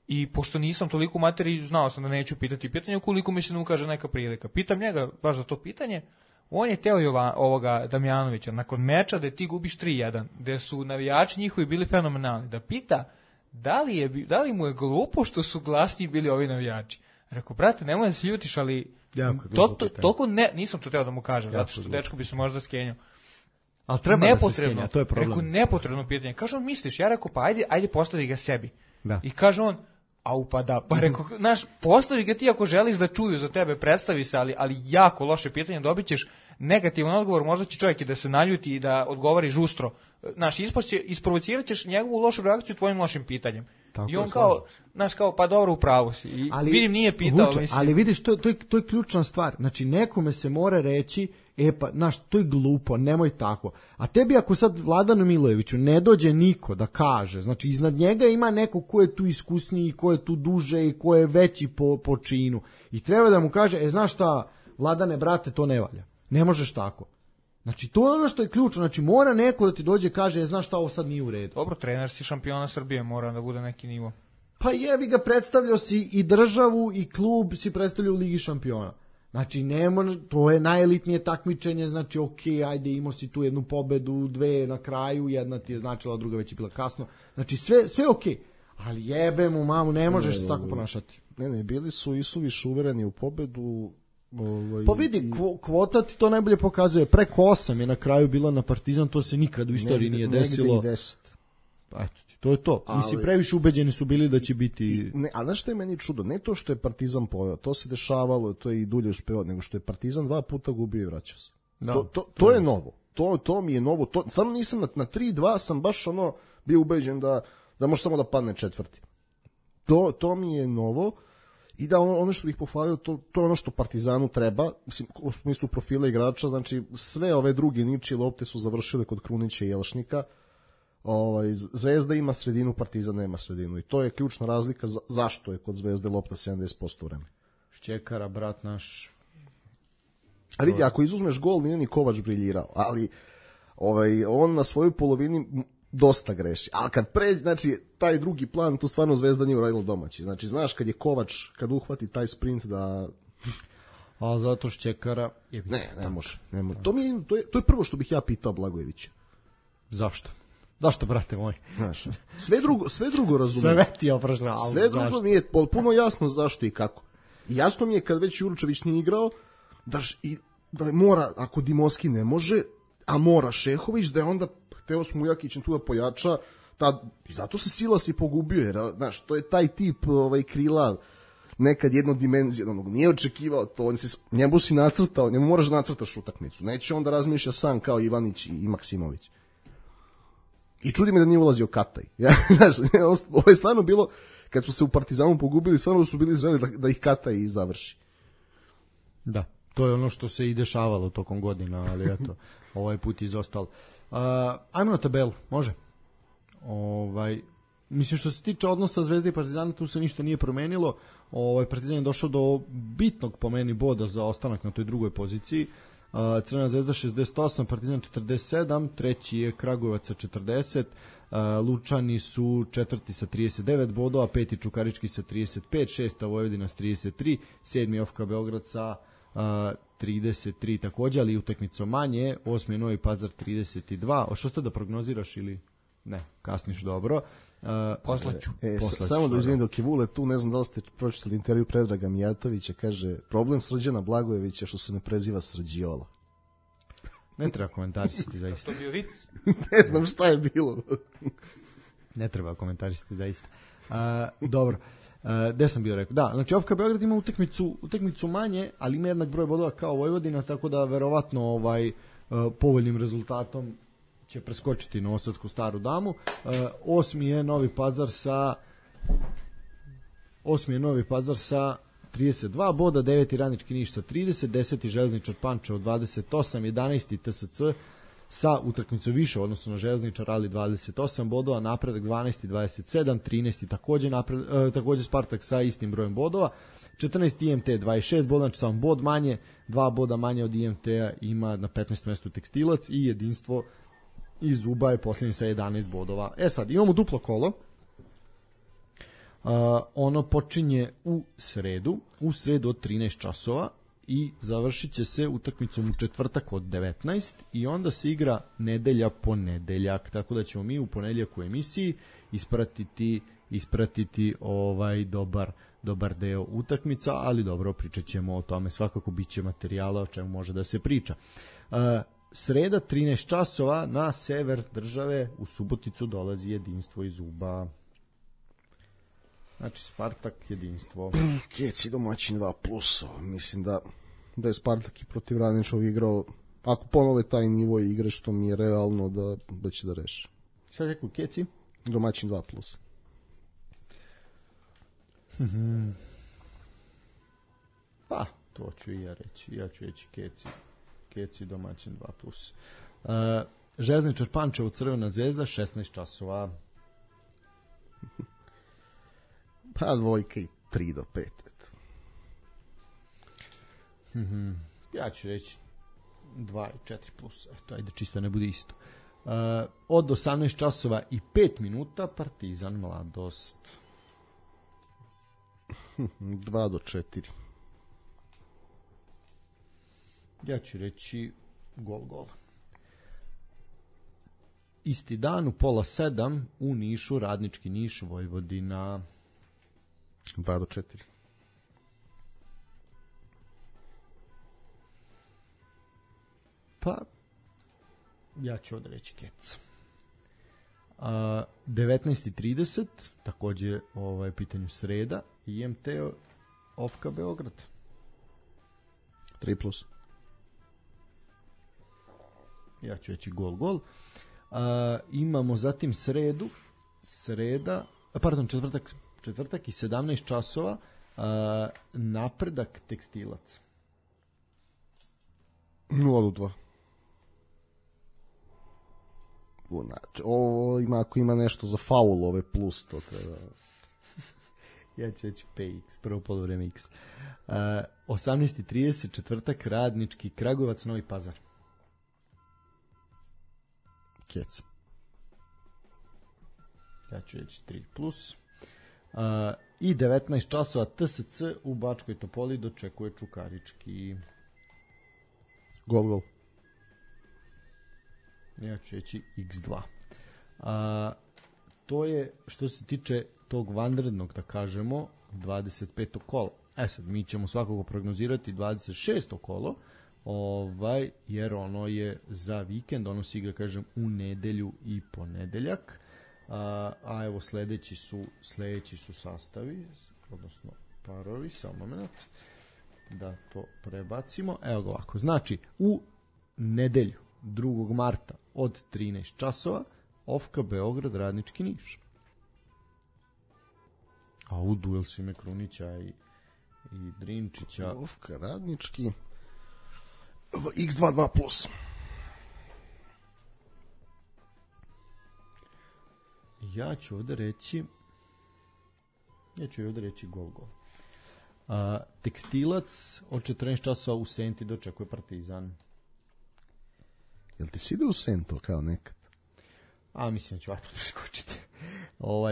I pošto nisam toliko u materiji, znao sam da neću pitati pitanje, ukoliko mi se ne ukaže neka prilika. Pitam njega baš za to pitanje, on je teo ovoga Damjanovića, nakon meča da ti gubiš 3-1, gde su navijači njihovi bili fenomenalni, da pita da li mu je glupo što su glasniji bili ovi navijači. Rekao, brate, nemoj da se ljutiš, ali toliko nisam to teo da mu kažem, zato što dečko bi se možda skenjao. Ali treba da se skenja, to je problem. Rekao, nepotrebno pitanje. Kaže on, misliš? Ja rekao, pa ajde postavi ga sebi. Da. I kaže on, pa rekao, znaš, postavi ga ti ako želiš da čuju za tebe, predstavi se, ali jako loše pitanje, dobit ćeš negativan odgovor, možda će čovjek i da se naljuti i da odgovori žustro. Znaš, isprovocirat ćeš njegovu lošu reakciju tvojim lošim pitanjem. Tako, i on kao, pa dobro, u pravu si. I vidim, nije pitao. Vuče, ali vidiš, to je ključna stvar. Znači, nekome se mora reći, znaš, to je glupo, nemoj tako. A tebi ako sad Vladanu Milojeviću ne dođe niko da kaže, znači, iznad njega ima neko ko je tu iskusniji, ko je tu duže i ko je veći po činu. I treba da mu kaže, znaš šta, Vladane, brate, to ne valja. Ne možeš tako. Znači, to je ono što je ključno. Znači, mora neko da ti dođe i kaže, znaš šta, ovo sad nije u redu. Dobro, trener si šampiona Srbije, mora da bude neki nivo. Pa jebi ga, predstavljao si i državu i klub si predstavljao u Ligi šampiona. Znači, to je najelitnije takmičenje, znači, ajde, imao si tu jednu pobedu, dve na kraju, jedna ti je značila, druga već je bila kasno. Znači, sve okej. Ali jebe mu mamu, ne možeš se tako ponašati. Ne, bili su i suviše uvereni u pobedu. Pa vidi, kvota ti to najbolje pokazuje. Preko 8 je na kraju bila na Partizan, to se nikad u istoriji nije desilo. Negde i 10. Pa eto ti, to je to. Mislim, previše ubeđeni su bili da će biti... A znaš što je meni čudo? Ne to što je Partizan poveo, to se dešavalo, to je i dulje uspeo, nego što je Partizan 2 puta gubio i vraćao se. Da, to je novo. To mi je novo. Stvarno nisam na 3-2 sam baš bio ubeđen da može samo da padne četvrti. To mi je novo. I da ono što bih pohvalio, to je ono što Partizanu treba, mislim, u smislu profila igrača, znači sve ove druge ničije lopte su završile kod Krunića i Jelšnika. Zvezda ima sredinu, Partizan nema sredinu i to je ključna razlika zašto je kod Zvezde lopta 70% vremena. Šćekara, brat naš. A vidi, ako izuzmeš gol, nije ni Kovač briljirao, ali on na svojoj polovini dosta greši. Ali kad pređe, znači, taj drugi plan, tu stvarno Zvezda nije uradila domaći. Znači, znaš, kad je Kovač, kad uhvati taj sprint da... A zato Šćekara... Ne može. To je prvo što bih ja pitao Blagojevića. Zašto? Zašto, brate moj? Znaš, sve drugo razumijem. Sve ti je oprašno, ali sve drugo mi je potpuno jasno zašto i kako. I jasno mi je kad već Jurčević nije igrao, da mora, ako Dimoski ne može, a mora Šehović, da je onda hteo Smujakićem tu da pojača, i zato se Silas i pogubio, jer, znaš, to je taj tip krila, nekad jednodimenzionog, nije očekivao to, njemu si nacrtao, njemu moraš da nacrtaš utakmicu, neće on da razmišlja sam kao Ivanić i Maksimović. I čudi me da nije ulazio Kataj. Ovo je stvarno bilo, kad su se u Partizanu pogubili, stvarno su bili izveli da ih Kataj završi. Da, to je ono što se i dešavalo tokom godina, ali eto, ovaj put izostalo. Ajmo na tabelu, može? Mislim, što se tiče odnosa Zvezde i Partizana, tu se ništa nije promenilo. Partizan je došao do bitnog, po meni, boda za ostanak na toj drugoj poziciji. Crvena Zvezda 68, Partizan 47, treći je Kragujevac sa 40, Lučani su četvrti sa 39 bodova, peti Čukarički sa 35, šesta Vojvodina sa 33, sedmi OFK Beograd sa 33 takođe, ali utakmicom manje, osmi je Novi Pazar 32. Što ste da prognoziraš ili ne, kasniš dobro? Poslaću. Samo da izvinim dok je Vule tu, ne znam da li ste pročitali intervju Predraga Mijatovića, kaže, problem Srđana Blagojevića što se ne preziva Srđiola. Ne treba komentarisati zaista. To bio vic? Ne znam šta je bilo. Ne treba komentarisati zaista. Dobro. Gde sam bio rekao? Da, znači OFK Beograd ima utakmicu manje, ali ima jednak broj bodova kao Vojvodina, tako da verovatno povoljnim rezultatom će preskočiti Novosadsku Staru Damu. Osmi je Novi Pazar sa 32 boda, 9. Radnički Niš sa 30, 10. Železničar Pančevo 28, 11. TSC sa utakmicom više odnosno na Železničar, ali 28 bodova, Napredak 12. 27, 13. takođe Spartak sa istim brojem bodova, 14. IMT 26 boda, znači samo bod manje, 2 boda manje od IMT-a ima na 15. mestu Tekstilac i Jedinstvo iz Uba je posljednji sa 11 bodova. Sad, imamo duplo kolo. Ono počinje u sredu od 13 časova i završit će se utakmicom u četvrtak od 19 i onda se igra nedelja ponedeljak, tako da ćemo mi u ponedeljak u emisiji ispratiti dobar deo utakmica, ali dobro, pričat ćemo o tome, svakako bit će materijala o čemu može da se priča. Sreda 13 časova na sever države u Suboticu dolazi Jedinstvo iz Uba. Znači Spartak, Jedinstvo. Keci domaćin 2+. Mislim da je Spartak i protiv Radničkog igrao, ako ponove taj nivo igre što mi je realno da će da reši. Šta rekao Keci? Domaćin 2+. Pa, to ću i ja reći. Ja ću reći Keci domaćin 2+. Železničar Pančevo, Crvena Zvezda 16 časova. Pa dvojka i 3 do 5. Ja ću reći 2 i 4+. Eto, ajde čisto ne bude isto. Od 18 časova i 5 minuta Partizan Mladost. 2 do 4. Ja ću reći gol. Isti dan u 6:30 u Nišu, Radnički Niš, Vojvodina. 2 do 4. Pa, ja ću odreći Kec. 19.30, takođe pitanju sreda, IMT Ofka Beograd. 3+. Ja ću reći gol. Imamo zatim četvrtak i 17 časova, Napredak Tekstilac. 0-2. Ovo ako ima nešto za faulove plus, to treba... Ja ću reći PX, prvo poluvreme X. 18.30, četvrtak, Radnički Kragujevac, Novi Pazar. Kec. Ja ću reći 3+. I 19 časova TSC u Bačkoj Topoli dočekuje Čukarički. Gol. Ja ću reći X2. To je što se tiče tog vanrednog, da kažemo, 25. kola. Sad, mi ćemo svakako prognozirati 26. kolo, jer ono je za vikend, ono se igra, kažem, u nedelju i ponedeljak. A evo sledeći su sastavi, odnosno parovi, samo moment da to prebacimo. Evo ga ovako, znači u nedelju 2. marta od 13 časova Ofka Beograd, Radnički Niš. A u duel Sime Krunića i Drinčića. Ofka Radnički X2 2+. Ja ću ovde reći gol. Tekstilac od 14 časova u Senti dočekuje Partizan. Jel ti si ide u Sento kao nekad? Mislim da ću ovako preskočiti.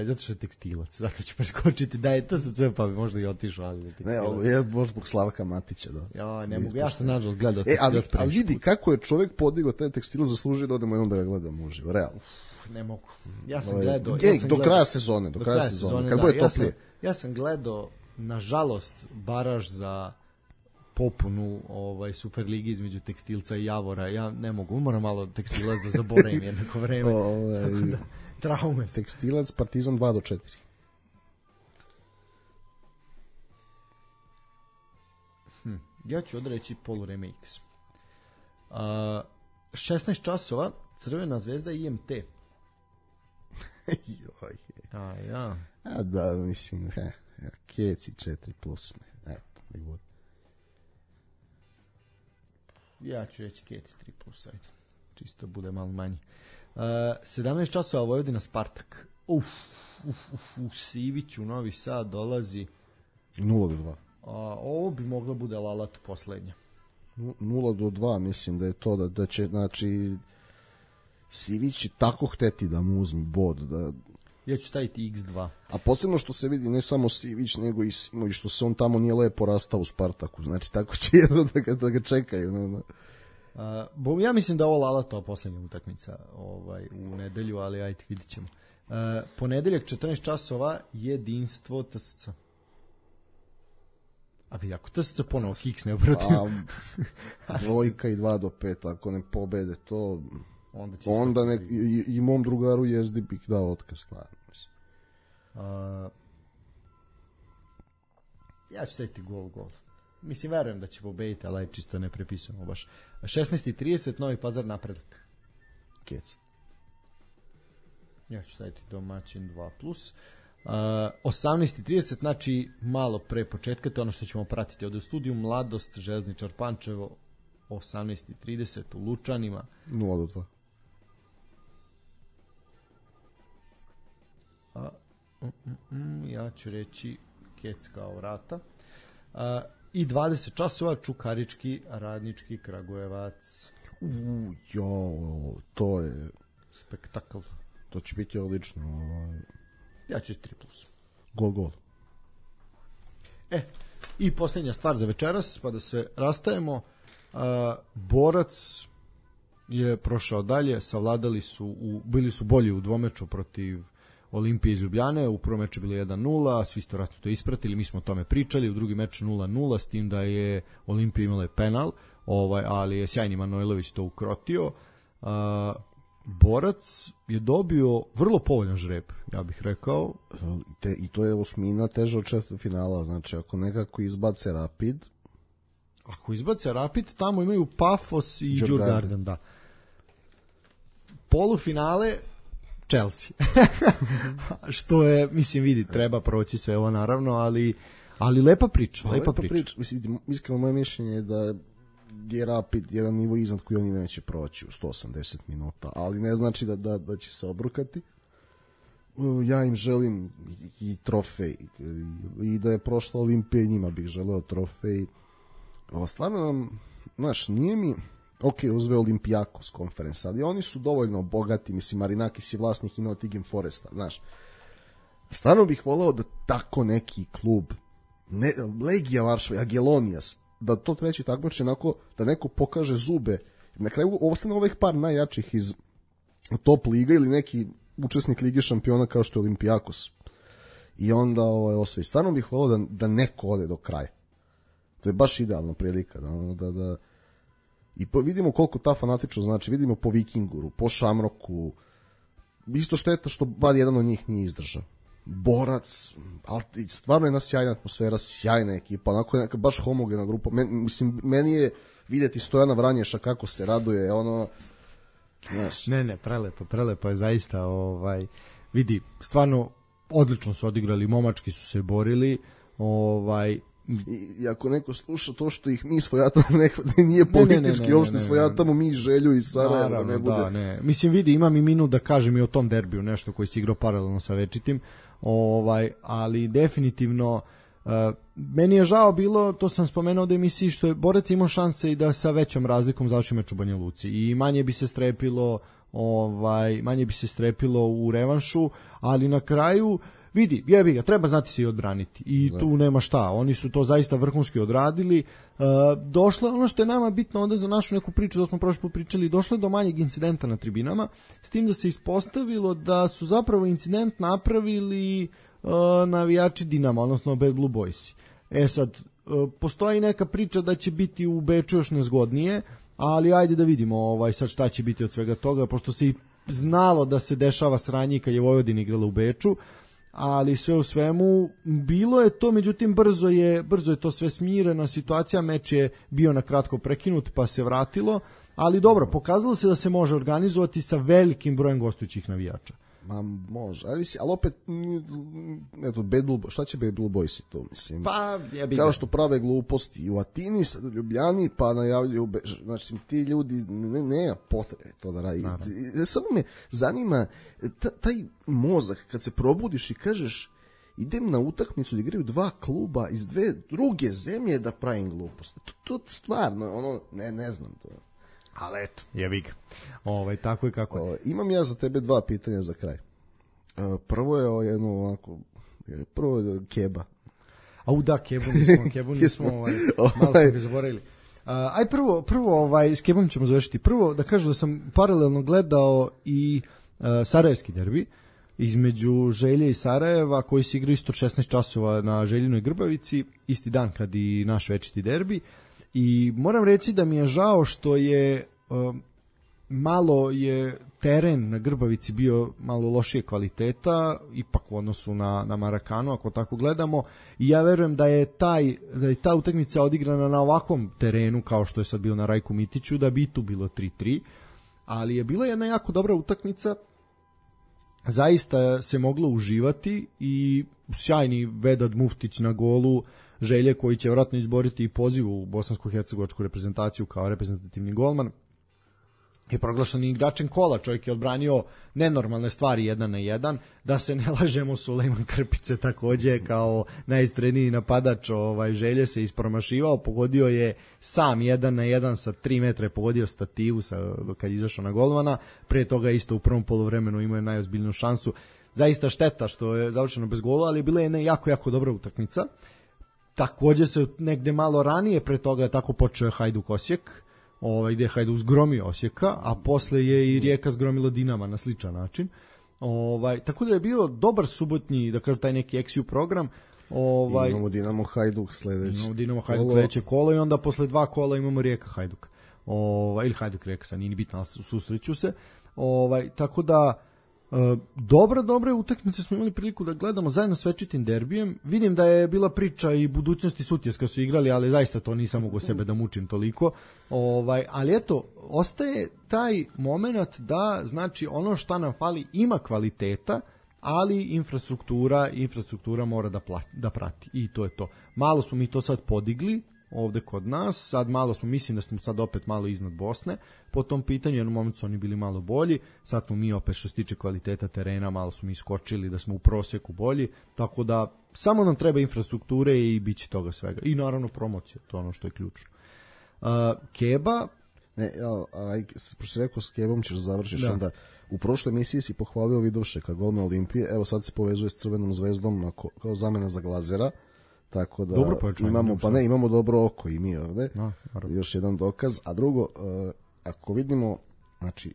Zato što je Tekstilac, zato ću preskočiti. Da je TSC, pa bi možda i otišao, ali je Tekstilac. Ne, ovo je možda zbog Slavka Matića, da. Ja, ne mogu, ja sam nažalost gledao Tekstilac previše. Ali vidi kako je čovjek podigao taj Tekstilac, zaslužio da odemo jednom da ga gledamo uživo, realno. Ne mogu. Ja sam gledao. Do kraja sezone. Kad bude toplije. Ja sam gledao, nažalost, baraž za popunu Superligi između Tekstilca i Javora. Ja ne mogu, moram malo Tekstilac da zaboravim jednako vreme. Traume. Tekstilac, Partizan 2-4. Ja ću odreći poluvreme X. 16 časova, Crvena zvezda i IMT. Joj. Ja. Da, mislim, Keci 4+. Eto, nek bude. Ja ću reći Keci 3+, ajde. Čisto bude malo manji. 17 časova Vojvodina Spartak. Sivić u Novi Sad dolazi 0-2. Ovo bi moglo bude Lalat poslednja. 0-2, mislim da je to da će, znači, Sivić tako hteti da mu uzme bod. Ja ću staviti X2. A posebno što se vidi ne samo Sivić, nego i Simović, što se on tamo nije lepo rastao u Spartaku. Znači, tako će jedno da ga čekaju. Ja mislim da ovo Lalatova poslednja utakmica u nedelju, ali ajde, vidit ćemo. Ponedeljak 14 časova, Jedinstvo TSC. A vidi, ako TSC ponovo kiksne protiv... 2 i 2-5, ako ne pobede to... Onda i mom drugaru Jezdi bih dao otkaz. Ja ću staviti gol. Mislim, verujem da će pobediti, ali čisto ne prepisujemo baš. 16.30, Novi Pazar, Napredak. Kec. Ja ću staviti domaćin 2+. 18.30, znači malo pre početka, to je ono što ćemo pratiti ovde u studiju. Mladost, Železničar Pančevo, 18.30 u Lučanima. 0-2. Ja ću reći Kec kao vrata. I 20 časova Čukarički, Radnički Kragujevac. To je spektakl. To će biti odlično. Ja ću 3+. Gol. I posljednja stvar za večeras, pa da se rastajemo. Borac je prošao dalje, savladali su, bili su bolji u dvomeču protiv Olimpije iz Ljubljane, u prvom meču bilo 1-0, svi ste vratno to ispratili, mi smo o tome pričali, u drugi meč 0-0, s tim da je Olimpija imala penal, ali je sjajni Manojlović to ukrotio. Borac je dobio vrlo povoljan žreb, ja bih rekao. I to je osmina teža od četvrtfinala, znači ako nekako izbace Rapid... Ako izbace Rapid, tamo imaju Pafos i Djurgården, da. Polufinale Chelsea. Što je, mislim, vidi, treba proći sve ovo naravno, ali lepa priča. Lepa priča. Mislim, iskreno moje mišljenje je da je Rapid jedan nivo iznad koji oni neće proći u 180 minuta, ali ne znači da će se obrukati. Ja im želim i trofej i da je prošla Olimpija, njima bih želeo trofej. Ovo stvarno, znaš, nije mi uzve Olympiakos konferens, ali oni su dovoljno bogati, mislim, Marinakis je vlasnik i Nottingham Foresta, znaš. Stvarno bih voleo da tako neki klub, Legija Varšava, Agilonijas, da to treći takmiče onako, da neko pokaže zube. Na kraju ostane ovih par najjačih iz top liga ili neki učesnik Lige šampiona kao što je Olympiakos. I onda osvoji. Stvarno bih voleo da neko ode do kraja. To je baš idealna prilika. Da i vidimo koliko ta fanatičnost znači. Vidimo po Vikinguru, po Šamroku. Isto šteta što bar jedan od njih nije izdržao. Borac, ali stvarno je jedna sjajna atmosfera, sjajna ekipa, onako je baš homogena grupa. Meni je vidjeti Stojana Vranješa kako se raduje, znaš. Ne, prelepo je zaista, vidi, stvarno odlično su odigrali, momački su se borili, I ako neko sluša to što ih mi svojatamo, nije politički, uopšte svojatamo mi Želju i Sarajevo. Naravno, ne bude. Da, ne. Mislim, vidi, imam i minut da kažem i o tom derbiju, nešto koji si igrao paralelno sa Večitim, ali definitivno meni je žao bilo, to sam spomenuo da emisiji, što je Borac imao šanse i da sa većom razlikom završi meč u Banja Luci i manje bi se strepilo u revanšu, ali na kraju vidi, jebi ga, treba znati se i odbraniti i tu nema šta, oni su to zaista vrhunski odradili. Došlo ono što je nama bitno onda za našu neku priču, da smo prošli put pričali, došlo je do manjeg incidenta na tribinama, s tim da se ispostavilo da su zapravo incident napravili navijači Dinama, odnosno Bad Blue Boysi. Sad, postoji neka priča da će biti u Beču još nezgodnije, ali ajde da vidimo sad šta će biti od svega toga, pošto se i znalo da se dešava sranje kad je Vojvodina igrala u Beču, ali sve u svemu bilo je to, međutim brzo je to sve smirena situacija, meč je bio na kratko prekinut pa se vratilo, ali dobro, pokazalo se da se može organizovati sa velikim brojem gostujućih navijača. Ma može, ali opet eto, šta će Bad Blue Boysi to, mislim? Pa, kao što prave gluposti i u Atini, sad u Ljubljani, pa najavljuju, znači ti ljudi nema potrebe to da radi. Samo me zanima taj mozak kad se probudiš i kažeš idem na utakmicu da igraju dva kluba iz dve druge zemlje da pravim gluposti. To stvarno, ne znam to. Ali eto, jebi ga. Tako i kako je. Imam ja za tebe dva pitanja za kraj. Prvo je prvo je Keba. Da, Kebu nismo malo smo ga zaboravili. Prvo s Kebom ćemo završiti. Prvo da kažem da sam paralelno gledao i sarajevski derbi između Želje i Sarajeva, koji se igraju isto 16 časova na Željinoj Grbavici, isti dan kad i naš večiti derbi. I moram reći da mi je žao što je malo je teren na Grbavici bio malo lošije kvaliteta, ipak u odnosu na Marakanu, ako tako gledamo, i ja verujem da je ta utakmica odigrana na ovakvom terenu kao što je sad bio na Rajku Mitiću, da bi tu bilo 3-3, ali je bila jedna jako dobra utakmica, zaista se moglo uživati i sjajni Vedad Muftić na golu Želje, koji će vjerojatno izboriti i poziv u bosansko-hercegovačku reprezentaciju kao reprezentativni golman, je proglašen igračem kola. Čovjek je odbranio nenormalne stvari 1-1, da se ne lažemo, Sulejman Krpice također kao najistreniji napadač Želje se ispromašivao, pogodio je sam 1-1 sa 3 metra, pogodio stativu kad je izašao na golmana, pre toga isto u prvom poluvremenu imao je najozbiljniju šansu. Zaista šteta što je završeno bez gola, ali bila je jedna jako dobra utakmica. Također se negde malo ranije pre toga je tako počeo Hajduk Osijek, gdje je Hajduk zgromio Osijeka, a posle je i Rijeka zgromila Dinama na sličan način. Tako da je bio dobar subotnji, da kažem, taj neki XU program. Imamo Dinamo Hajduk sledeće. Imamo Dinamo Hajduk sledeće kolo i onda posle 2 kola imamo Rijeka Hajduk. Ili Hajduk Rijeka, sad nije bitno, susreću se. Tako da dobre utakmice smo imali priliku da gledamo zajedno s večitim derbijem. Vidim da je bila priča i budućnosti Sutjeska su igrali, ali zaista to nisam mogu sebe da mučim toliko. Ali eto, ostaje taj moment da, znači, ono šta nam fali ima kvaliteta, ali infrastruktura mora da prati. I to je to. Malo smo mi to sad podigli ovde kod nas, sad malo smo, mislim da smo sad opet malo iznad Bosne po tom pitanju, jednom momentu su oni bili malo bolji, sad smo mi opet što se tiče kvaliteta terena malo smo iskočili da smo u proseku bolji, tako da samo nam treba infrastrukture i bit će toga svega. I naravno promocija, to je ono što je ključno. Keba... Pošto si rekao s Kebom ćeš završiš, onda u prošloj emisiji si pohvalio Vidovšeka, golman Olimpije, evo sad se povezuje s Crvenom zvezdom kao zamena za Glazera. Tako da imamo dobro oko i mi ovde. Još jedan dokaz. A drugo, ako vidimo, znači,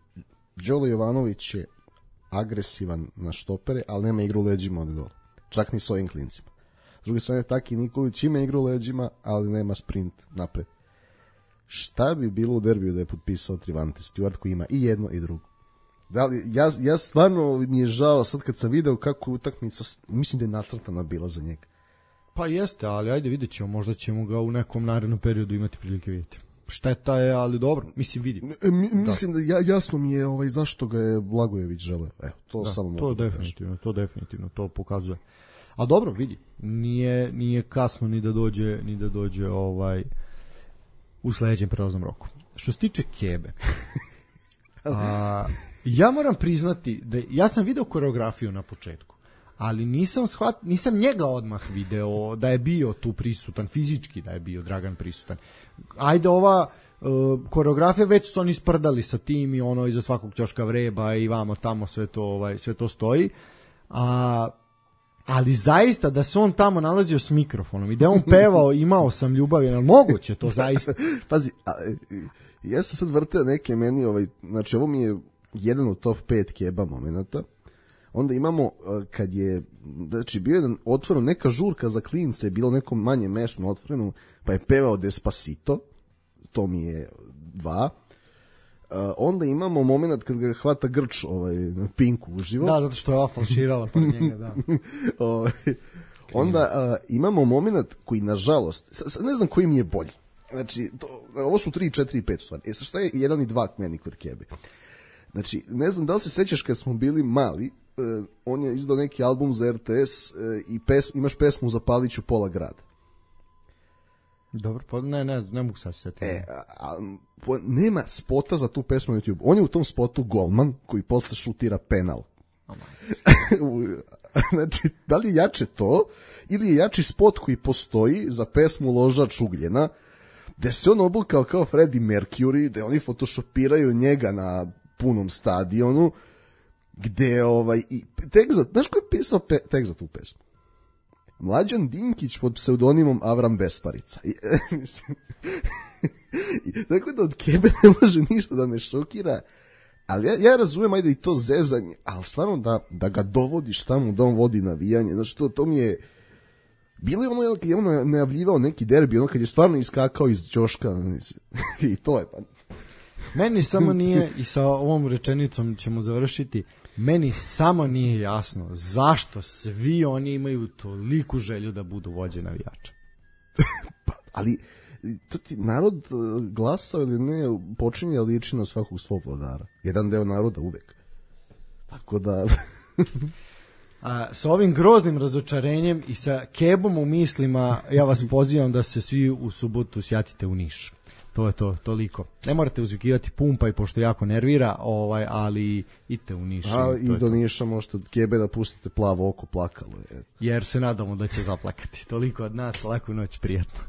Đole Jovanović je agresivan na štopere, ali nema igru leđima od gola. Čak ni s ovim klincima. S druge strane, Taki Nikolić ima igru leđima, ali nema sprint napred. Šta bi bilo u derbiju da je potpisao Trivante Stewart koji ima i jedno i drugo? Da li, ja stvarno mi je žao sad kad sam video kako utakmica, mislim da je nacrtana bila za njega. Pa jeste, ali ajde vidjet ćemo, možda ćemo ga u nekom narednom periodu imati prilike vidjeti. Šteta je, ali dobro, mislim vidim. Mislim da jasno mi je zašto ga je Blagojević želeo. Evo, to samo mogu da kažem. To definitivno, to pokazuje. A dobro, vidi, nije kasno ni da dođe u sledećem prelaznom roku. Što se tiče Kebe, ja moram priznati da ja sam video koreografiju na početku, ali nisam njega odmah video da je bio tu prisutan, fizički da je bio Dragan prisutan. Ajde, ova koreografija već su oni sprdali sa tim i ono iza svakog ćoška vreba i vamo tamo sve to stoji. Ali zaista da se on tamo nalazio s mikrofonom i da on pevao imao sam ljubav, je moguće to zaista? Pazi, ja sam sad vrteo neke meni, znači ovo mi je jedan od top 5 Keba momenata. Onda imamo kad je, znači bio je otvoreno neka žurka za klince, bilo nekom manje mestu otvoreno, pa je pevao Despacito, to mi je 2. Onda imamo moment kad ga hvata Grč na Pinku uživo. Da, zato što je ova falširala pa njega, da. Onda imamo moment koji, nažalost, ne znam koji mi je bolji. Znači, ovo su 3, 4 i 5 stvari. Šta je 1 i 2 meni kod Kebe? Znači, ne znam da li se sećaš kad smo bili mali, on je izdao neki album za RTS i imaš pesmu Zapaliću pola grada. Dobro, pa ne mogu sad setiti. Nema spota za tu pesmu na YouTube. On je u tom spotu golman koji posle šutira penal. Znači, da li je jače to ili je jači spot koji postoji za pesmu Ložač ugljena, gde se on obukao kao Freddie Mercury, gde oni photoshopiraju njega na punom stadionu, gde znaš ko je pisao tekst za tu pesmu? Mlađan Dinkić pod pseudonimom Avram Besparica. Tako da od Kebe ne može ništa da me šokira, ali ja razumem, ajde i to zezanje, ali stvarno da ga dovodiš tamo da on vodi navijanje, znači to mi je bilo je ono kad je on najavljivao neki derbi, ono kad je stvarno iskakao iz ćoška i to je pa. Meni samo nije, i sa ovom rečenicom ćemo završiti, meni samo nije jasno zašto svi oni imaju toliku želju da budu vođe navijača. Ali to ti narod glasao ili ne počinje liči na svakog svog vladara. Jedan deo naroda uvek. Tako da... sa ovim groznim razočarenjem i sa Kebom u mislima ja vas pozivam da se svi u subotu sjatite u Niš. To je to, toliko. Ne morate uzvikivati Pumpa i pošto jako nervira, ali idite u Niš. I do Niša možete od Kebe da pustite Plavo oko plakalo. Jer se nadamo da će zaplakati. Toliko od nas, laku noć, prijatno.